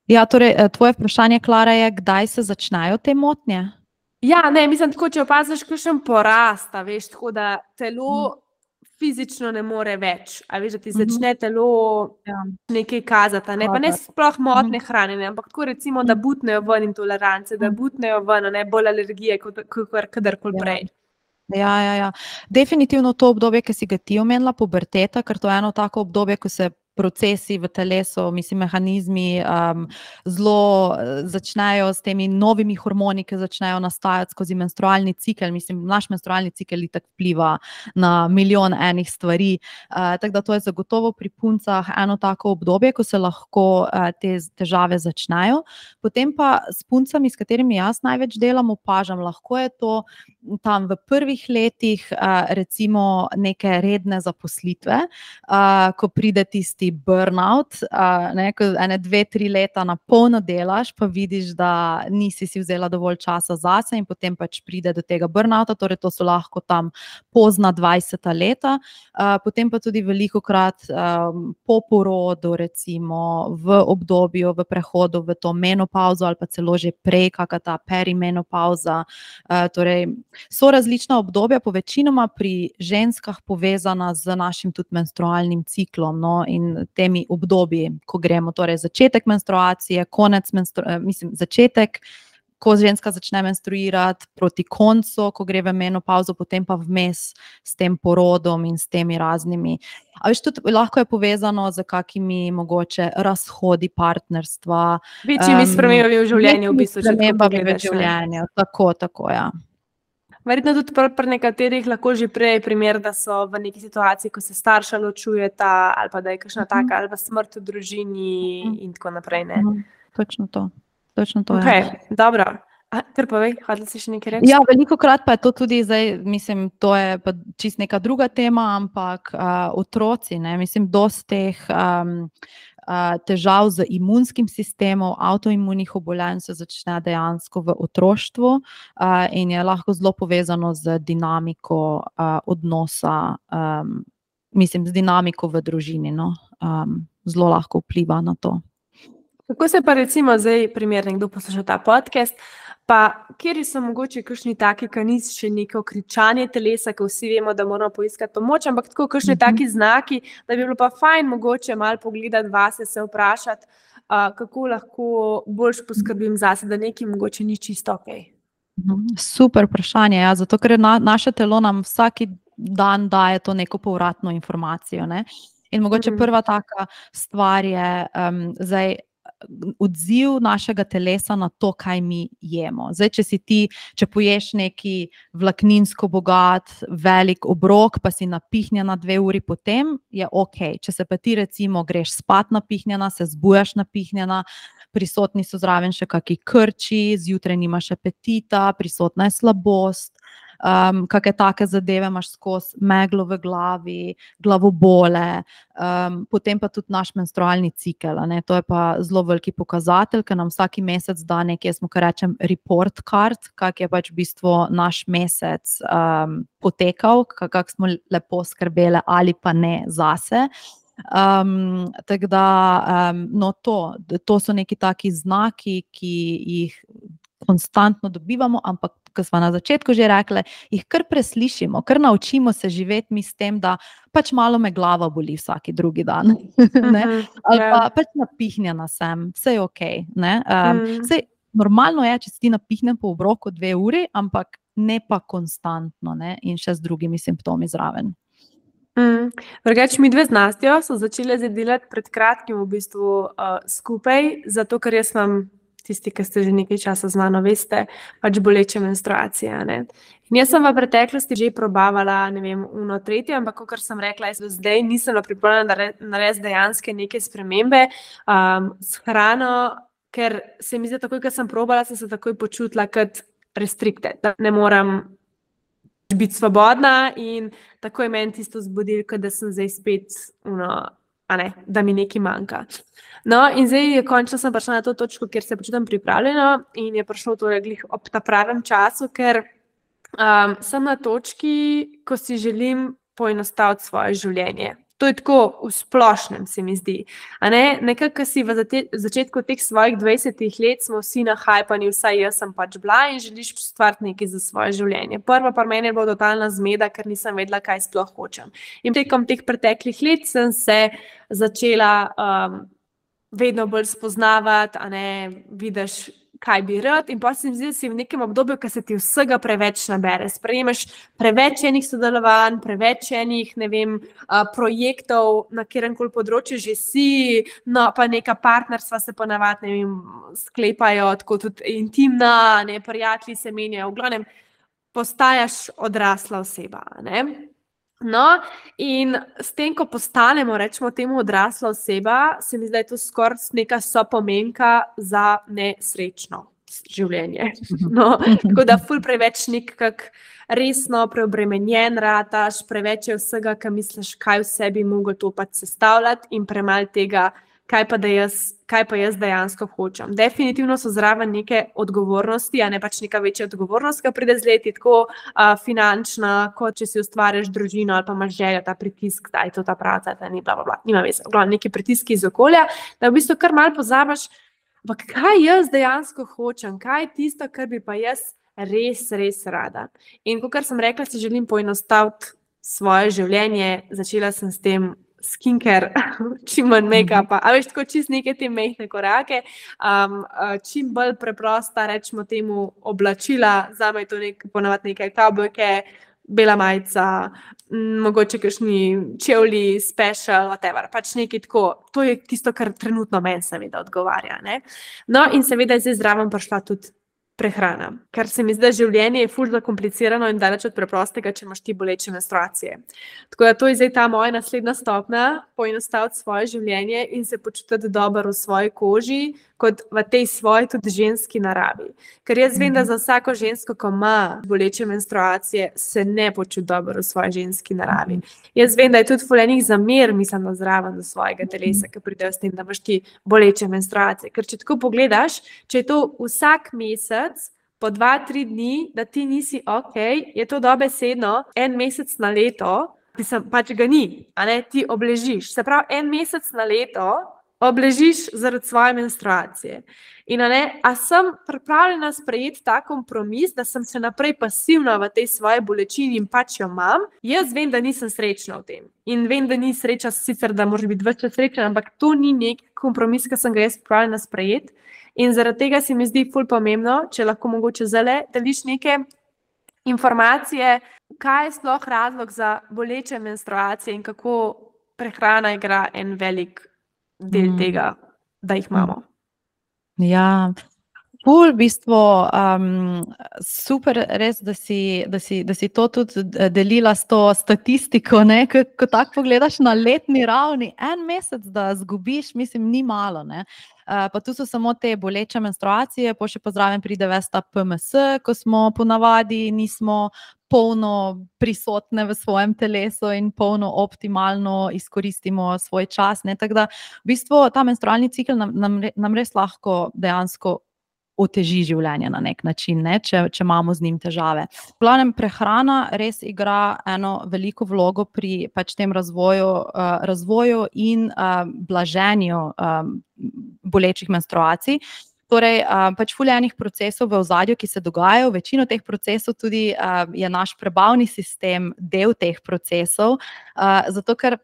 Ja, torej, tvoje vprašanje, Klara, je, kdaj se začnejo te motnje? Ja, ne, mislim tako, če opaziš kakšen porast, veš, tako da telo fizično ne more več, a veš, da ti začne telo nekaj kazati, ne, pa ne sploh motne hrane, ne, ampak tako recimo, da butnejo ven intolerance, da butnejo ven, ne, bolj alergije, kot kadarkoli prej. Ja. Definitivno to obdobje, ki si ga ti omenila, puberteta, ker to je eno tako obdobje, ko se procesi v telesu, mislim, mehanizmi zelo začnejo s temi novimi hormoni, ki začnejo nastajati skozi menstrualni cikel. Mislim, naš menstrualni cikel itak vpliva na milijon enih stvari. Tako da to je zagotovo pri puncah eno tako obdobje, ko se lahko te težave začnejo. Potem pa s puncami, s katerimi jaz največ delam, opažam, lahko je to tam v prvih letih recimo neke redne zaposlitve, ko pride tisti burnout, ko 2-3 leta na polno delaš, pa vidiš, da nisi si vzela dovolj časa zase in potem pač pride do tega burnouta, torej to so lahko tam pozna 20 leta, potem pa tudi velikokrat po porodu, recimo v obdobju, v prehodu v to menopauzo ali pa celo že prej, kakšna ta perimenopauza, torej so različna obdobja, povečinoma pri ženskah povezana z našim tudi menstrualnim ciklom, no, in temi obdobji, ko gremo, torej začetek menstruacije, začetek, ko ženska začne menstruirati, proti koncu, ko gre v menopauzo, potem pa vmes s tem porodom in s temi raznimi. A veš, tudi lahko je povezano z kakimi mogoče razhodi partnerstva. Večjimi spremembami v življenju, v bistvu, če tako pogledaš. Tako, ja. Verjetno tudi pri nekaterih lahko že prej primer, da so v neki situaciji, ko se starša ločujeta, ali pa da je kakšna taka, ali pa smrt v družini in tako naprej, ne? Točno to, okay, dobro. Kar povej, hodila si še nekaj reči? Ja, velikokrat pa je to tudi zdaj, mislim, to je pa čist neka druga tema, ampak otroci, ne, mislim, dosti teh težav z imunskim sistemom, avtoimunih obolenj se začne dejansko v otroštvu in je lahko zelo povezano z dinamiko odnosa, mislim, z dinamiko v družini, no, zelo lahko vpliva na to. Kako se pa recimo zdaj primer, nekdo posluša ta podcast, pa kjeri so mogoče kakšni taki, ki ni še neko kričanje telesa, ko vsi vemo, da moramo poiskati pomoč, ampak tako kakšni taki znaki, da bi bilo pa fajn mogoče malo pogledati vase, se vprašati, kako lahko boljš poskrbim zase, da nekaj mogoče ni čisto okej. Super vprašanje, ja, zato ker naše telo nam vsak dan daje to neko povratno informacijo, ne? In mogoče prva taka stvar je zdaj odziv našega telesa na to, kaj mi jemo. Zdaj, če poješ neki vlakninsko bogat, velik obrok, pa si napihnjena 2 uri potem, je okej. Če se pa ti recimo greš spat napihnjena, se zbujaš napihnjena, prisotni so zraven še kakšni krči, zjutraj nimaš apetita, prisotna je slabost, kakšne take zadeve imaš skozi, meglo v glavi, glavobole, potem pa tudi naš menstrualni cikel, ne? To je pa zelo veliki pokazatelj, ker nam vsaki mesec da nekaj, jaz mu kar rečem report card, kak je pač v bistvu naš mesec potekal, kako smo lepo skrbeli ali pa ne zase. Tako da, no, to so neki taki znaki, ki jih konstantno dobivamo, ampak ko smo na začetku že rekli, jih kar preslišimo, kar naučimo se živeti mi s tem, da pač malo me glava boli vsaki drugi dan, ne? Ali pa pač napihnjena sem, vse je okej, ne? Saj normalno je, če si ti napihnen po obroku 2 uri, ampak ne pa konstantno, ne? In še z drugimi simptomi zraven. Drugače, midve z Nastjo so začele zdaj delati pred kratkim v bistvu skupaj, zato ker jaz imam, tisti, ki ste že nekaj časa z mano, veste, pač boleče menstruacije, ne. In jaz sem v preteklosti že probavala, ne vem, 3, ampak kakor sem rekla, jaz zdaj nisem pripravljena narediti dejanske neke spremembe s hrano, ker se mi zdi, takoj, ko sem probala, sem se takoj počutila kot restricted, da ne moram biti svobodna in takoj meni tisto zbudilko, da sem zdaj spet, da mi nekaj manjka. No, in zdaj končno sem prišla na to točko, kjer se počutim pripravljeno in je prišlo torej glih ob ta pravem času, ker sem na točki, ko si želim poenostaviti svoje življenje. To je tako v splošnem, se mi zdi. Nekako si v začetku teh svojih 20 let smo vsi nahajpani, vsaj jaz sem pač bila in želiš ustvariti nekaj za svoje življenje. Prva pa meni je bila totalna zmeda, ker nisem vedela, kaj sploh hočem. In tekom teh preteklih let sem se začela vedno bolj spoznavati, vidiš, kaj bi rad, in pa se mi zdi, da si v nekem obdobju, ko se ti vsega preveč nabere. Sprejemaš preveč enih sodelovanj, preveč enih, ne vem, projektov, na kjerkoli področju že si, no, pa neka partnerstva se ponavadi, ne vem, sklepajo, tako tudi intimna, ne, prijatelji se menjajo, v glavnem postajaš odrasla oseba, ne. No, in s tem, ko postanemo, rečemo temu odrasla oseba, se mi zdi, da je to skoraj neka sopomenka za nesrečno. življenje. No, tako da ful preveč nekak resno preobremenjen rataš, preveč je vsega, kar misliš, kaj vse bi mogel to pač sestavljati in premalo tega, kaj pa jaz dejansko hočem. Definitivno so zraven neke odgovornosti, a ne pač neka večja odgovornost, ki pride z leti, tako finančna, kot če si ustvariš družino ali pa imaš željo, ta pritisk, da je to ta praca, da ni bla, bla, bla. Nima veze, neki pritiski iz okolja, da v bistvu kar malo pozabiš, ampak kaj jaz dejansko hočem, kaj je tisto, kar bi pa jaz res, res rada. In kot sem rekla, si želim poenostaviti svoje življenje, začela sem s tem skincare, čim manj make-upa, a veš, tako čist neke te mehne korake, čim bolj preprosta, rečemo temu, oblačila, zame je to ponavadi neke kavbojke, bela majica, mogoče kakšni čevlji, special, whatever, pač nekaj tako, to je tisto, kar trenutno meni seveda odgovarja, ne. No, in seveda je zdaj zraven prišla tudi prehrana, ker se mi zdi, da življenje je ful zakomplicirano in daleč od preprostega, če imaš ti boleče menstruacije. Tako da to je zdaj ta moja naslednja stopnja, poenostaviti svoje življenje in se počutiti dobro v svoji koži, kot v tej svoji tudi ženski naravi. Ker jaz vem, da za vsako žensko, ko ima boleče menstruacije, se ne počuti dobro v svoji ženski naravi. Jaz vem, da je tudi ful enih zamer, mislim, da zraven do svojega telesa, ki pridejo s tem, da imaš ti boleče menstruacije. Ker če tako pogledaš, če je to vsak mesec, po 2-3 dni, da ti nisi ok, je to dobesedno 1 mesec na leto, pač ga ni, a ne, ti obležiš. Se pravi, 1 mesec na leto obležiš zaradi svoje menstruacije. In a sem pripravljena sprejeti ta kompromis, da sem še naprej pasivna v tej svoji bolečini in pač jo imam, jaz vem, da nisem srečna v tem. In vem, da ni sreča sicer, da moraš biti več srečna, ampak to ni nek kompromis, ki sem ga jaz pripravljena sprejeti. In zaradi tega se mi zdi ful pomembno, če lahko mogoče zdajle deliš neke informacije, kaj je sploh razlog za boleče menstruacije in kako prehrana igra en velik del tega, da jih imamo. Ja, ful, v bistvu, super res, da si to tudi delila s to statistiko, ne, ko tako pogledaš na letni ravni, 1 mesec, da zgubiš, mislim, ni malo, ne. Pa tu so samo te boleče menstruacije, pa še pozraven pride ves ta PMS, ko smo ponavadi nismo polno prisotne v svojem telesu in polno optimalno izkoristimo svoj čas, ne, tako da v bistvu ta menstrualni cikel nam res lahko dejansko oteži življenje na nek način, ne, če imamo z njim težave. V glavnem, prehrana res igra eno veliko vlogo pri pač tem razvoju in blaženju bolečih menstruacij. Torej, pač ful enih procesov v ozadju, ki se dogajajo, večino teh procesov tudi je naš prebavni sistem del teh procesov, zato ker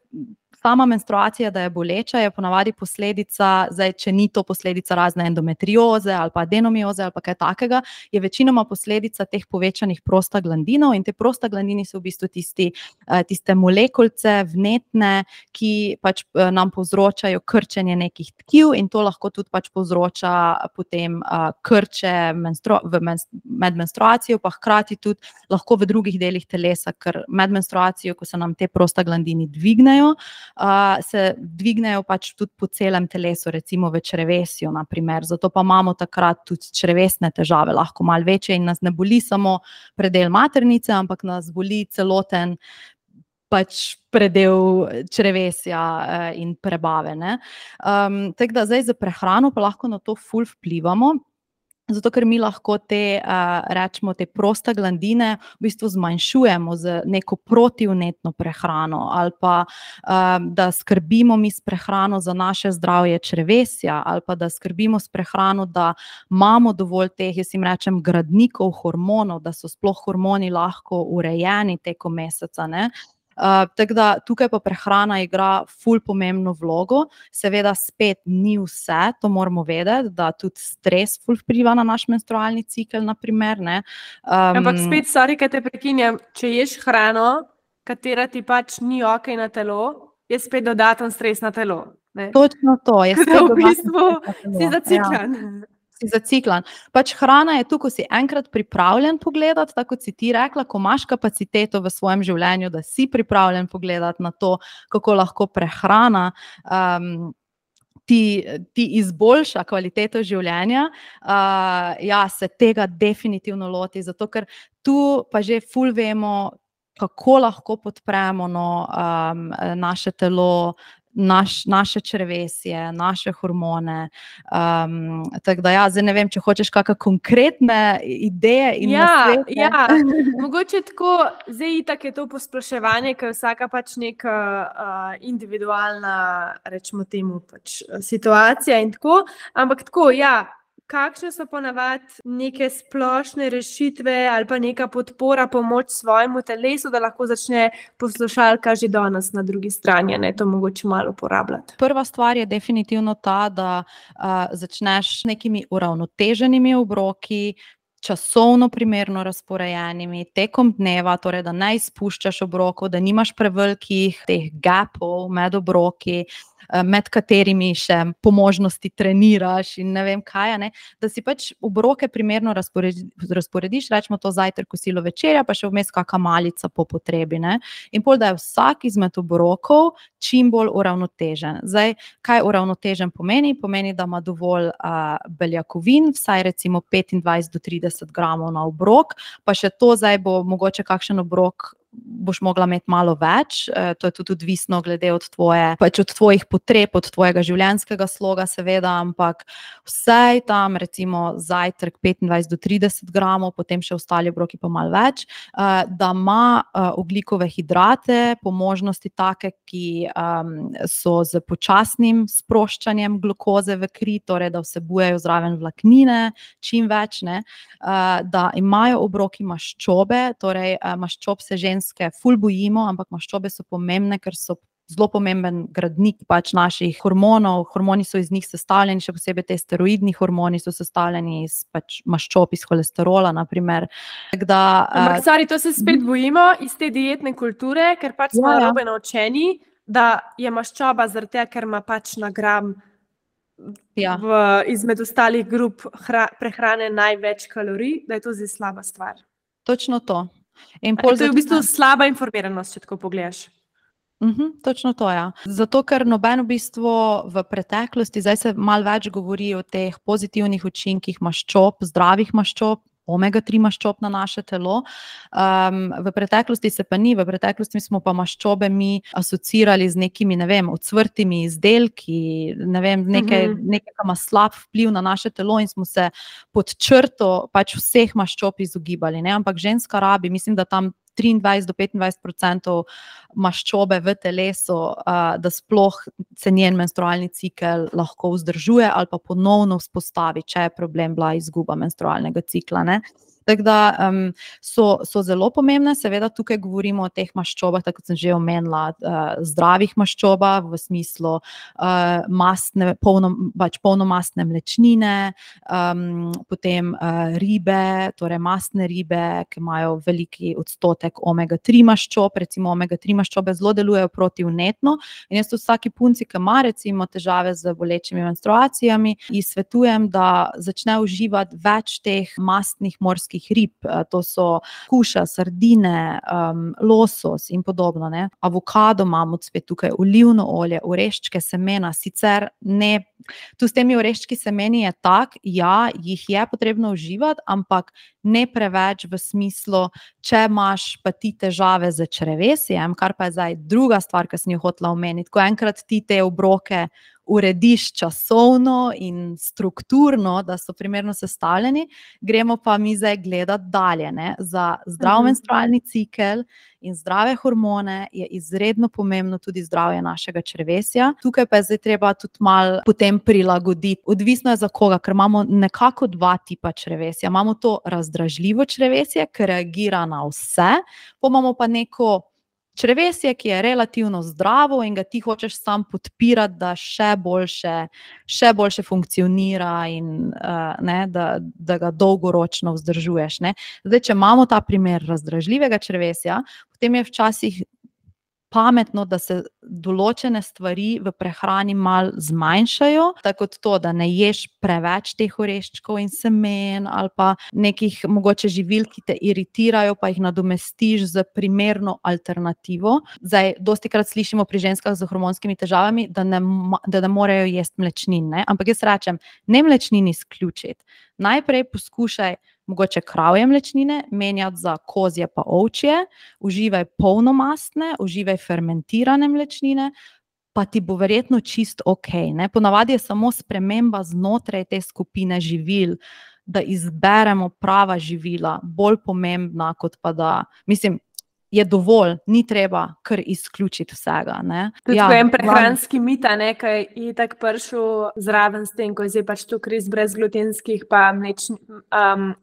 sama menstruacija, da je boleča, je ponavadi posledica, zdaj, če ni to posledica razne endometrioze ali pa adenomioze ali pa kaj takega, je večinoma posledica teh povečanih prostaglandinov in te prostaglandini so v bistvu tiste molekulce vnetne, ki pač nam povzročajo krčenje nekih tkiv in to lahko tudi pač povzroča potem krče med menstruacijo, pa hkrati tudi lahko v drugih delih telesa, ker med menstruacijo, ko se nam te prostaglandini dvignejo, se dvignejo pač tudi po celem telesu, recimo v črevesju, na primer. Zato pa imamo takrat tudi črevesne težave, lahko malo večje in nas ne boli samo predel maternice, ampak nas boli celoten pač predel črevesja in prebave, ne. Tako da zdaj za prehrano pa lahko na to ful vplivamo, zato ker mi lahko rečemo, te prostaglandine v bistvu zmanjšujemo z neko protivnetno prehrano ali pa da skrbimo mi s prehrano za naše zdravje črevesja ali pa da skrbimo s prehrano, da imamo dovolj teh, jaz jim rečem, gradnikov hormonov, da so sploh hormoni lahko urejeni tekom meseca, ne. Tako da tukaj pa prehrana igra ful pomembno vlogo, seveda spet ni vse, to moramo vedeti, da tudi stres ful vpliva na naš menstrualni cikel, na primer, ne. Ampak spet, sorry, kaj te prekinjam, če ješ hrano, katera ti pač ni ok na telo, je spet dodaten stres na telo, ne. Točno to, je spet v bistvu si zaciklan. Si zaciklan. Pač hrana je tu, ko si enkrat pripravljen pogledati, tako kot si ti rekla, ko imaš kapaciteto v svojem življenju, da si pripravljen pogledati na to, kako lahko prehrana ti izboljša kvaliteto življenja, se tega definitivno loti, zato ker tu pa že ful vemo, kako lahko podpremo naše telo, naše črevesje, naše hormone. Tako da zdaj ne vem, če hočeš kakšne konkretne ideje in nasvete. Ja, mogoče tako, zdaj itak je to posploševanje, ker vsaka pač neka individualna, rečemo temu, pač situacija in tako, ampak tako, kakšne so ponavadi neke splošne rešitve ali pa neka podpora, pomoč svojemu telesu, da lahko začne poslušalka že danes na drugi strani, ne to mogoče malo uporabljati. Prva stvar je definitivno ta, da začneš s nekimi uravnoteženimi obroki, časovno primerno razporejenimi, tekom dneva, torej da ne izpuščaš obrokov, da nimaš prevelikih teh gapov med obroki, med katerimi še po možnosti treniraš in ne vem kaj, da si pač obroke primerno razporediš, rečemo to zajtrk, kosilo, večerja, pa še vmes kakšna malica po potrebi. In pol, da je vsak izmed obrokov čim bolj uravnotežen. Zdaj, kaj uravnotežen pomeni? Pomeni, da ima dovolj beljakovin, vsaj recimo 25 do 30 gramov na obrok, pa še to zdaj bo mogoče kakšen obrok boš mogla imeti malo več, to je tudi odvisno glede od tvojih potreb, od tvojega življenjskega sloga seveda, ampak vsaj tam recimo zajtrk 25 do 30 gramov, potem še ostali obroki pa malo več, da ima ogljikove hidrate, po možnosti take, ki so z počasnim sproščanjem glukoze v kri, torej da vsebujejo zraven vlaknine, čim več, da imajo obroki maščobe, torej maščob se ženske ful bojimo, ampak maščobe so pomembne, ker so zelo pomemben gradnik pač naših hormonov. Hormoni so iz njih sestavljeni, še posebej te steroidni hormoni so sestavljeni iz pač maščob, iz holesterola, naprimer. Ampak, to se spet bojimo iz te dietne kulture, ker pač smo narobe naučeni, da je maščoba zaradi tega, ker ima pač na gram izmed ostalih grup prehrane največ kalorij, da je to zdaj slaba stvar. Točno to. To je v bistvu slaba informiranost, če tako pogledaš. Točno to, Zato, ker noben v bistvu v preteklosti, zdaj se malo več govori o teh pozitivnih učinkih maščob, zdravih maščob, omega-3 maščob na naše telo. V preteklosti se pa ni, v preteklosti smo pa maščobe mi asociirali z nekimi, ne vem, ocvrtimi izdelki, ne vem, nekaj ima slab vpliv na naše telo in smo se pod črto pač vseh maščob izogibali, ampak ženska rabi, mislim, da tam 23 do 25% maščobe v telesu, da sploh se njen menstrualni cikel lahko vzdržuje ali pa ponovno vzpostavi, če je problem bila izguba menstrualnega cikla, Tako da so zelo pomembne, seveda tukaj govorimo o teh maščobah, tako kot sem že omenila, zdravih maščobah v smislu polnomastne mlečnine, potem ribe, torej mastne ribe, ki imajo veliki odstotek omega-3 maščob, recimo omega-3 maščobe zelo delujejo protivnetno in jaz vsaki punci, ki ima recimo težave z bolečimi menstruacijami, ji svetujem, da začne uživati več teh mastnih morskih rib, to so kuša, sardine, losos in podobno. Avokado imamo spet tukaj, olivno olje, oreščke, semena, sicer ne, tu s temi oreščki semeni je tak, jih je potrebno uživati, ampak ne preveč v smislu, če imaš pa ti težave z črevesjem, kar pa je zdaj druga stvar, ki sem jo hotela omeniti, ko enkrat ti te obroke urediš časovno in strukturno, da so primerno sestavljeni, gremo pa mi zdaj gledati dalje. Za zdrav menstrualni cikel in zdrave hormone je izredno pomembno tudi zdravje našega črevesja. Tukaj pa je zdaj treba tudi malo potem prilagoditi. Odvisno je za koga, ker imamo nekako dva tipa črevesja. Imamo to razdražljivo črevesje, ki reagira na vse, pa imamo pa neko črevesje, ki je relativno zdravo in ga ti hočeš sam podpirati, da še boljše funkcionira in da ga dolgoročno vzdržuješ. Zdaj, če imamo ta primer razdražljivega črevesja, potem je včasih pametno, da se določene stvari v prehrani mal zmanjšajo, tako kot to, da ne ješ preveč teh oreščkov in semen ali pa nekih mogoče živil, ki te iritirajo, pa jih nadomestiš z primerno alternativo. Zdaj, dostikrat slišimo pri ženskah z hormonskimi težavami, da ne morejo jesti mlečnin, ne? Ampak jaz rečem, ne mlečnin izključiti. Najprej poskušaj mogoče kravje mlečnine menjati za kozje pa ovčje, uživaj polnomastne, uživaj fermentirane mlečnine, pa ti bo verjetno čist okej, ne? Ponavadi je samo sprememba znotraj te skupine živil, da izberemo prava živila, bolj pomembna, kot pa da, mislim, je dovolj, ni treba kar izključiti vsega, ne. Tudi en prehranski mit, ne, ki je tako prišel zraven s tem, ko je zdaj pač to res brezglutenskih pa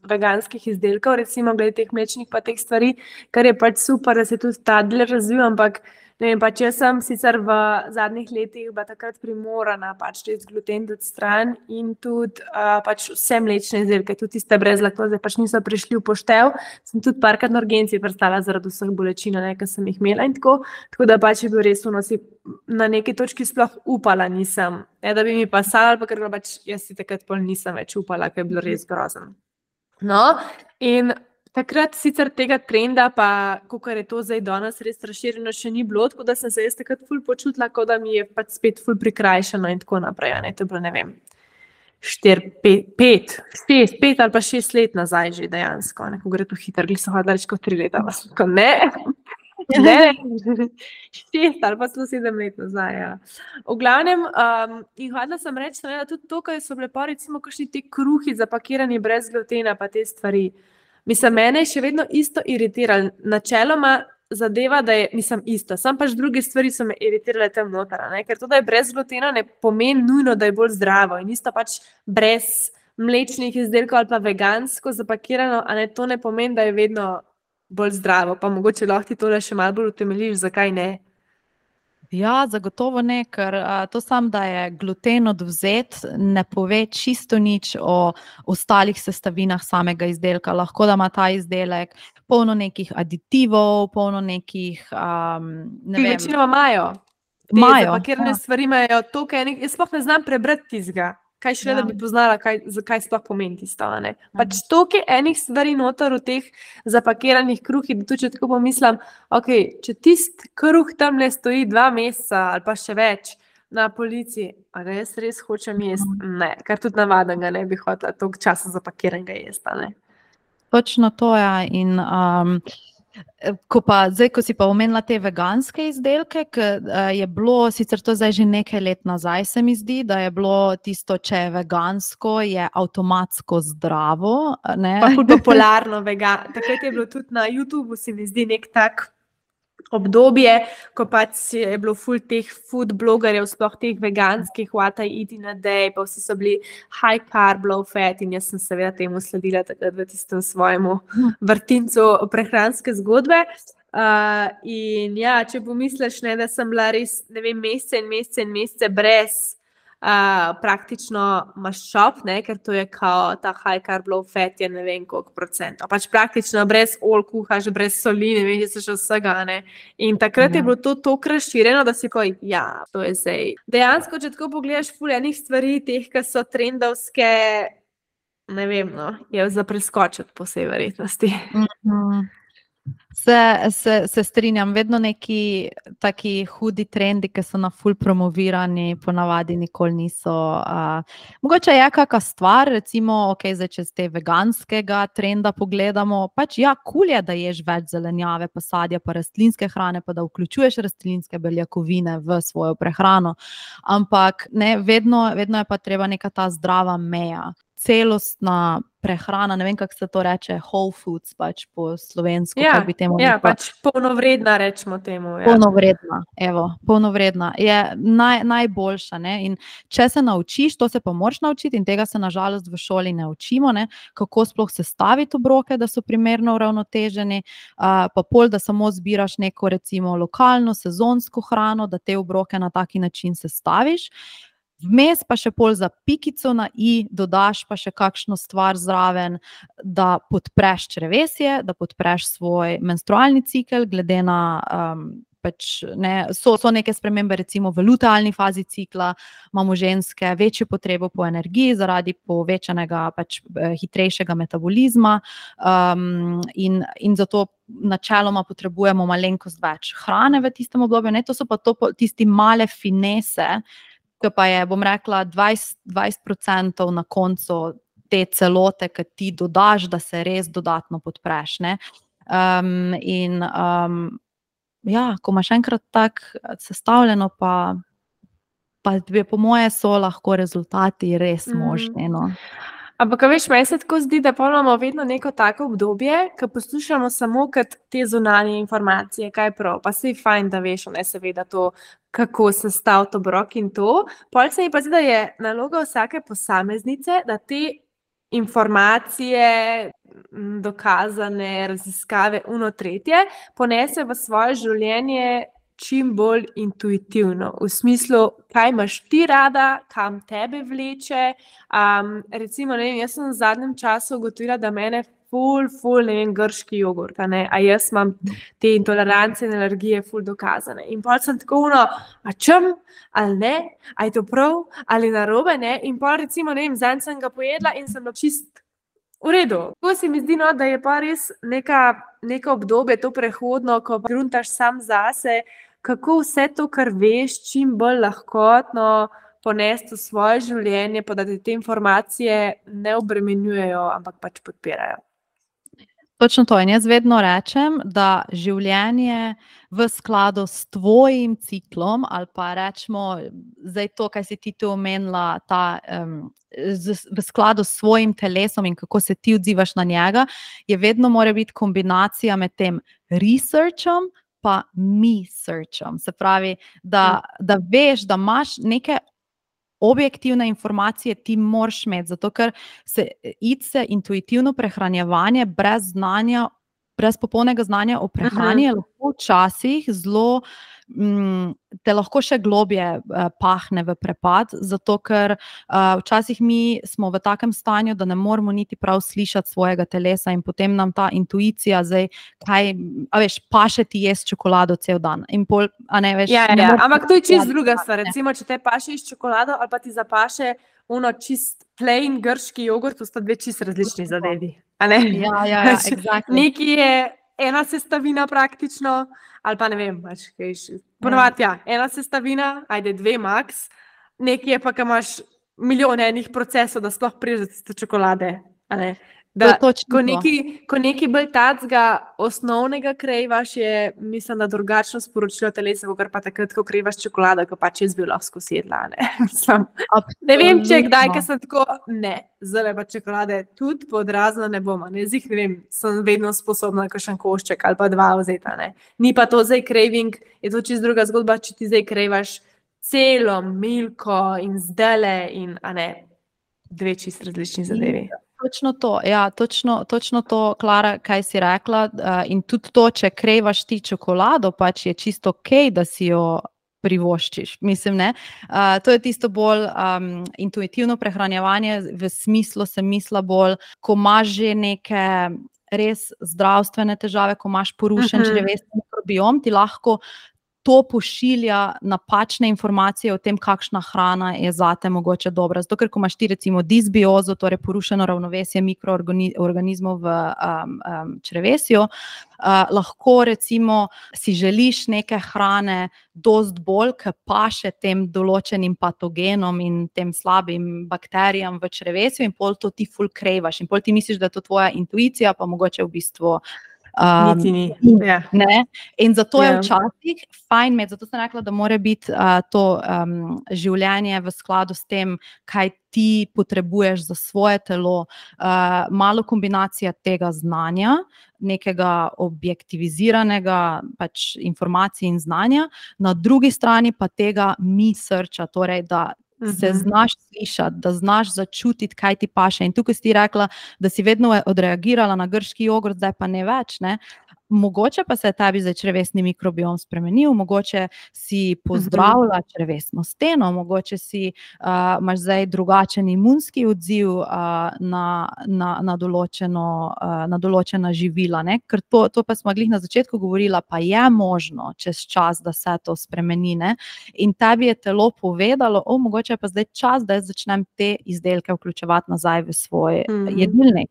veganskih izdelkov, recimo glede teh mlečnih pa teh stvari, kar je pač super, da se tudi ta del razvil, ampak ne vem, pač jaz sem sicer v zadnjih letih bila takrat primorana pač res gluten dati stran in tudi pač vse mlečne izdelke, tudi tiste brez laktoze, pač niso prišli v poštev. Sem tudi parkrat na urgenci prestala zaradi vseh bolečin, ki sem jih imela in tako da pač je bil res na neki točki sploh upala nisem, ne da bi mi pasala, pa ker pač jaz si takrat pol nisem več upala, ker je bilo res grozno. No, in takrat sicer tega trenda, pa kakor je to zdaj danes res razširjeno, še ni bilo, tako da sem se jaz takrat ful počutila, kot da mi je pač spet ful prikrajšano in tako naprej. Ne? To je bilo, ne vem, 5 ali pa 6 let nazaj že dejansko. Ko gre to hitro, glih so hodila reči kot 3 leta, ko ne. Ne, 6 ali pa 7 let nazaj, ja. V glavnem, in hodila sem reči, da tudi to, kaj so bile pa recimo kakšni ti kruhi zapakirani brez glutena, pa te stvari. Mislim, mene je še vedno isto iritiralo. Načeloma zadeva, da je, isto, sam pač druge stvari so me iritirale tam noter, ne? Ker to, da je brez glutena, ne pomeni nujno, da je bolj zdravo. In isto pač brez mlečnih izdelkov ali pa vegansko zapakirano, a ne, to ne pomeni, da je vedno bolj zdravo. Pa mogoče lahko ti tole še malo bolj utemeljiš, zakaj ne? Ja, zagotovo ne, ker to sam, da je gluten odvzet, ne pove čisto nič o ostalih sestavinah samega izdelka. Lahko da ima ta izdelek polno nekih aditivov, polno nekih, ne vem. Večinoma imajo. Te zapakirane stvari imajo toliko enih, jaz sploh ne znam prebrati tistega. Kaj šele, da bi poznala, zakaj sploh pomeni tisto, ne. Pač toliko enih stvari noter v teh zapakiranih kruhih, da tudi če tako pomislim, če tisti kruh tamle stoji 2 meseca ali pa še več na polici, a ga jaz res hočem jesti? Ne, ker tudi navaden ga ne bi hotela toliko časa zapakiranega jesti, ne. Točno to, ja, in ko si pa omenila te veganske izdelke, je bilo, sicer to zdaj že nekaj let nazaj, se mi zdi, da je bilo tisto, če je vegansko, je avtomatsko zdravo, ne. Pa ful popularno takrat je bilo tudi na YouTubeu, se mi zdi nek tak obdobje, ko pač je bilo ful teh food blogerjev, sploh teh veganskih, what I eat in a day, pa vsi so bili high carb, low fat in jaz sem seveda temu sledila takrat v tistem svojemu vrtincu prehranske zgodbe. In ja, če pomisliš, ne, da sem bila res, ne vem, mesece brez praktično maščob, ne, ker to je kao ta high carb, low fat je ne vem koliko %. Pač praktično brez kuhaš, brez soli, ne vem, če se še vsega, ne. In takrat je bilo to toliko razširjeno, da si to je zdaj. Dejansko, če tako pogledaš ful enih stvari, teh, ki so trendovske, ne vem, no, je za preskočiti po vsej verjetnosti. Se strinjam, vedno neki taki hudi trendi, ki so na ful promovirani, ponavadi nikoli niso. Mogoče je kakšna stvar, recimo, zdaj če z te veganskega trenda pogledamo, pač ja, kul je, da ješ več zelenjave, pa sadja, pa rastlinske hrane, pa da vključuješ rastlinske beljakovine v svojo prehrano, ampak ne, vedno je pa treba neka ta zdrava meja. Celostna prehrana, ne vem, kako se to reče, whole foods, pač po slovensko, kako bi temu rekla. Ja, pač polnovredna, rečemo temu. Ja. Polnovredna je najboljša, ne, in če se naučiš, to se pa moraš naučiti in tega se na žalost v šoli ne učimo, ne, kako sploh sestaviti obroke, da so primerno uravnoteženi, pa pol, da samo zbiraš neko recimo lokalno, sezonsko hrano, da te obroke na taki način sestaviš. Vmes pa še pol za pikico na i dodaš pa še kakšno stvar zraven, da podpreš črevesje, da podpreš svoj menstrualni cikel, glede na so neke spremembe, recimo v lutealni fazi cikla, imamo ženske večjo potrebo po energiji zaradi povečanega hitrejšega metabolizma, in zato načeloma potrebujemo malenkost več hrane v tistem obdobju. To so pa tisti male finese, ki pa je, bom rekla, 20% na koncu te celote, ki ti dodaš, da se res dodatno podpreš, ne. Ko imaš enkrat tako sestavljeno, pa po moje so lahko rezultati res možni, no. Ampak, veš, meni se tako zdi, da imamo vedno neko tako obdobje, ko poslušamo samo kot te zunanje informacije, kaj prav, pa se je fajn, da veš, ne, seveda to, kako sestaviti obrok in to. Pol se mi pa zdi, da je naloga vsake posameznice, da te informacije, dokazane raziskave, tretje, ponese v svoje življenje čim bolj intuitivno, v smislu, kaj imaš ti rada, kam tebe vleče. Recimo, ne vem, jaz sem v zadnjem času ugotovila, da mene ful, ne vem, grški jogurt, a jaz imam te intolerance in alergije ful dokazane. In pol sem tako a čem, ali ne, a je to prav, ali narobe, ne, in pol recimo, ne vem, zanj sem ga pojedla in sem bila čist v redu. Tako se mi zdi, da je pa res neko obdobje, to prehodno, ko gruntaš sam zase, kako vse to, kar veš, čim bolj lahkotno ponesti v svoje življenje, pa da te informacije ne obremenjujejo, ampak pač podpirajo. Točno to. In jaz vedno rečem, da življenje v skladu s tvojim ciklom, ali pa rečemo, zdaj to, kaj si ti tu omenila, v skladu s svojim telesom in kako se ti odzivaš na njega, je vedno mora biti kombinacija med tem researchom pa me-searchom. Se pravi, da veš, da imaš neke objektivne informacije, ti moraš imeti, zato ker se intuitivno prehranjevanje brez znanja, brez popolnega znanja o prehrani je lahko včasih zelo te lahko še globje pahne v prepad, zato ker včasih mi smo v takem stanju, da ne moramo niti prav slišati svojega telesa in potem nam ta intuicija zdaj, paše ti jesti čokolado cel dan. In pol, ampak to je čist druga stvar. Recimo, če te paše jesti čokolado ali pa ti zapaše čist plain grški jogurt, to sta dve čist različni zadevi. Exactly. Nekaj je ena sestavina praktično, ali pa ne vem, ponovadi, ena sestavina, ajde 2 max, nekaj je pa, ko imaš milijone enih procesov, da sploh prideš do tiste čokolade. Ko nekaj bolj tacga osnovnega krejvaš, je, mislim, da drugačno sporočilo telesa, kot pa takrat, ko krejvaš čokolado, ko pač jaz bi lahko sedla. Ne vem, če kdaj, ker sem tako, zdaj pa čokolade tudi podrazno ne bom. Ne vem, sem vedno sposobna kakšen košček ali pa 2 vzeti. Ni pa to zdaj craving, je to čisto druga zgodba, če ti zdaj krejvaš celo milko in zdele in dve čisto različni zadevi. Točno to, točno to, Klara, kaj si rekla, in tudi to, če krejvaš ti čokolado, pač je čisto okej, da si jo privoščiš, mislim, ne. To je tisto bolj intuitivno prehranjevanje, v smislu sem mislila bolj, ko imaš že neke res zdravstvene težave, ko imaš porušen črevesni mikrobiom, ti lahko to pošilja napačne informacije o tem, kakšna hrana je zate mogoče dobra. Zato, ker ko imaš ti recimo disbiozo, torej porušeno ravnovesje mikroorganizmov v črevesju, lahko recimo si želiš neke hrane dost bolj, ki paše tem določenim patogenom in tem slabim bakterijam v črevesju in pol to ti ful krejvaš in pol ti misliš, da je to tvoja intuicija, pa mogoče v bistvu niti ni. Ne? In zato je včasih fajn imeti, zato sem rekla, da mora biti to življenje v skladu s tem, kaj ti potrebuješ za svoje telo, malo kombinacija tega znanja, nekega objektiviziranega pač informacij in znanja, na drugi strani pa tega me-searcha, torej da se znaš slišati, da znaš začutiti, kaj ti paše. In tukaj si ti rekla, da si vedno odreagirala na grški jogurt, zdaj pa ne več, ne? mogoče pa se je tebi zdaj črevesni mikrobiom spremenil, mogoče si pozdravila črevesno steno, mogoče si imaš zdaj drugačen imunski odziv na določena živila, ne? Ker to pa smo glih na začetku govorila, pa je možno čez čas, da se to spremeni, ne? In tebi je telo povedalo, mogoče je pa zdaj čas, da jaz začnem te izdelke vključevati nazaj v svoj jedilnik.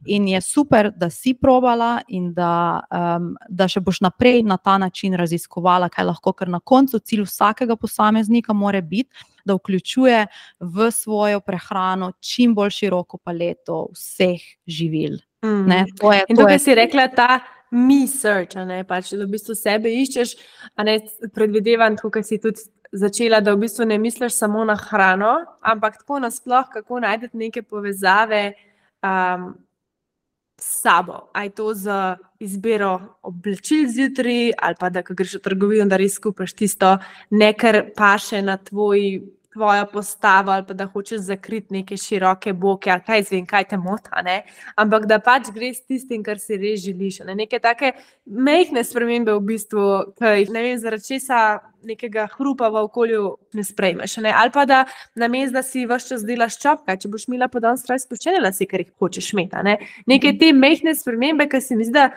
In je super, da si probala in da še boš naprej na ta način raziskovala, kaj lahko, ker na koncu cilj vsakega posameznika mora biti, da vključuje v svojo prehrano čim bolj široko paleto vseh živil. Ne? In tukaj si rekla ta me search, ne? Pač, da v bistvu sebe iščeš, a ne predvidevam, tukaj si tudi začela, da v bistvu ne misliš samo na hrano, ampak tako nasploh, kako najdete neke povezave s sabo. A je to z izbiro oblačil zjutraj, ali pa da, ko greš v trgovino, da res kupiš tisto, ne kar paše na tvoja postava, ali pa da hočeš zakriti neke široke boke, ali kaj zvem, kaj te mota, ne? Ampak da pač greš s tistim, kar si res želiš. Ne? Neke take majhne spremembe v bistvu, ki ne vem, zaradi česa nekega hrupa v okolju ne sprejmeš. Ne? Ali pa da namesto, da si ves čas delaš čopka, če boš imela po dan stroj spuščene lase, ker jih hočeš imeti. Ne? Neke te majhne spremembe, ki se mi zdi, da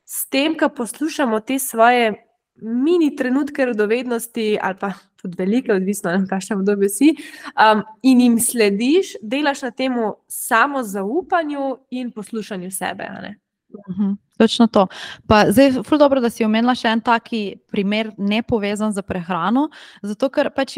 s tem, ko poslušamo te svoje mini trenutke radovednosti, ali pa tudi velike, odvisno na kakšnem obdobju si, in jim slediš, delaš na temu samozaupanju in poslušanju sebe. A ne? Točno to. Pa zdaj, ful dobro, da si omenila še en taki primer nepovezan z prehrano, zato ker pač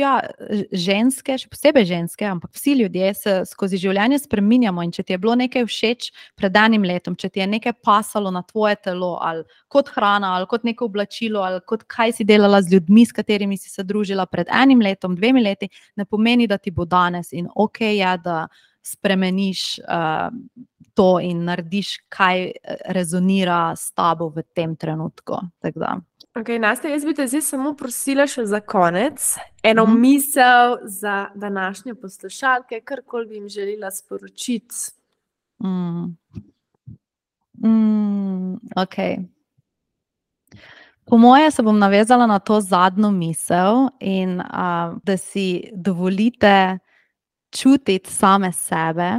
ženske, še posebej ženske, ampak vsi ljudje se skozi življenje spreminjamo in če ti je bilo nekaj všeč pred enim letom, če ti je nekaj pasalo na tvoje telo, ali kot hrana, ali kot neko oblačilo, ali kot kaj si delala z ljudmi, s katerimi si se družila pred enim letom, 2 leti, ne pomeni, da ti bo danes in okej je, da spremeniš to in narediš, kaj rezonira s tabo v tem trenutku. Okay, Nastja, jaz bi te zdaj samo prosila še za konec eno misel za današnje poslušalke, karkoli bi jim želela sporočiti. Okay. Po moje se bom navezala na to zadnjo misel in da si dovolite čutiti same sebe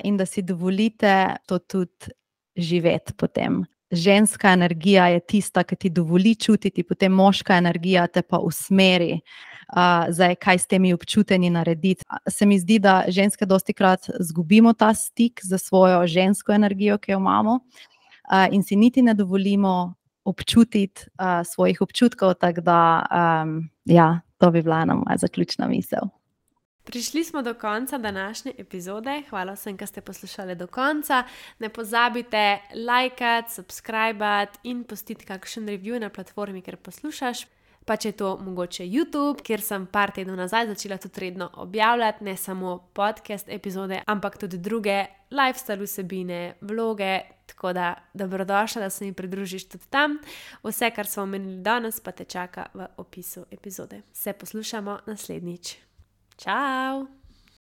in da si dovolite to tudi živeti potem. Ženska energija je tista, ki ti dovoli čutiti, potem moška energija te pa usmeri, kaj s temi občutenji narediti. Se mi zdi, da ženske dostikrat izgubimo ta stik za svojo žensko energijo, ki jo imamo, in si niti ne dovolimo občutiti svojih občutkov, tako da to bi bila ena moja zaključna misel. Prišli smo do konca današnje epizode. Hvala vsem, ki ste poslušali do konca. Ne pozabite lajkati, subskrbati in pustiti kakšen review na platformi, kjer poslušaš. Pa če je to mogoče YouTube, kjer sem par tednov nazaj začela tudi redno objavljati, ne samo podcast epizode, ampak tudi druge lifestyle vsebine, vloge, tako da dobrodošla, da se mi pridružiš tudi tam. Vse, kar smo omenili danes, pa te čaka v opisu epizode. Se poslušamo naslednjič. Ciao!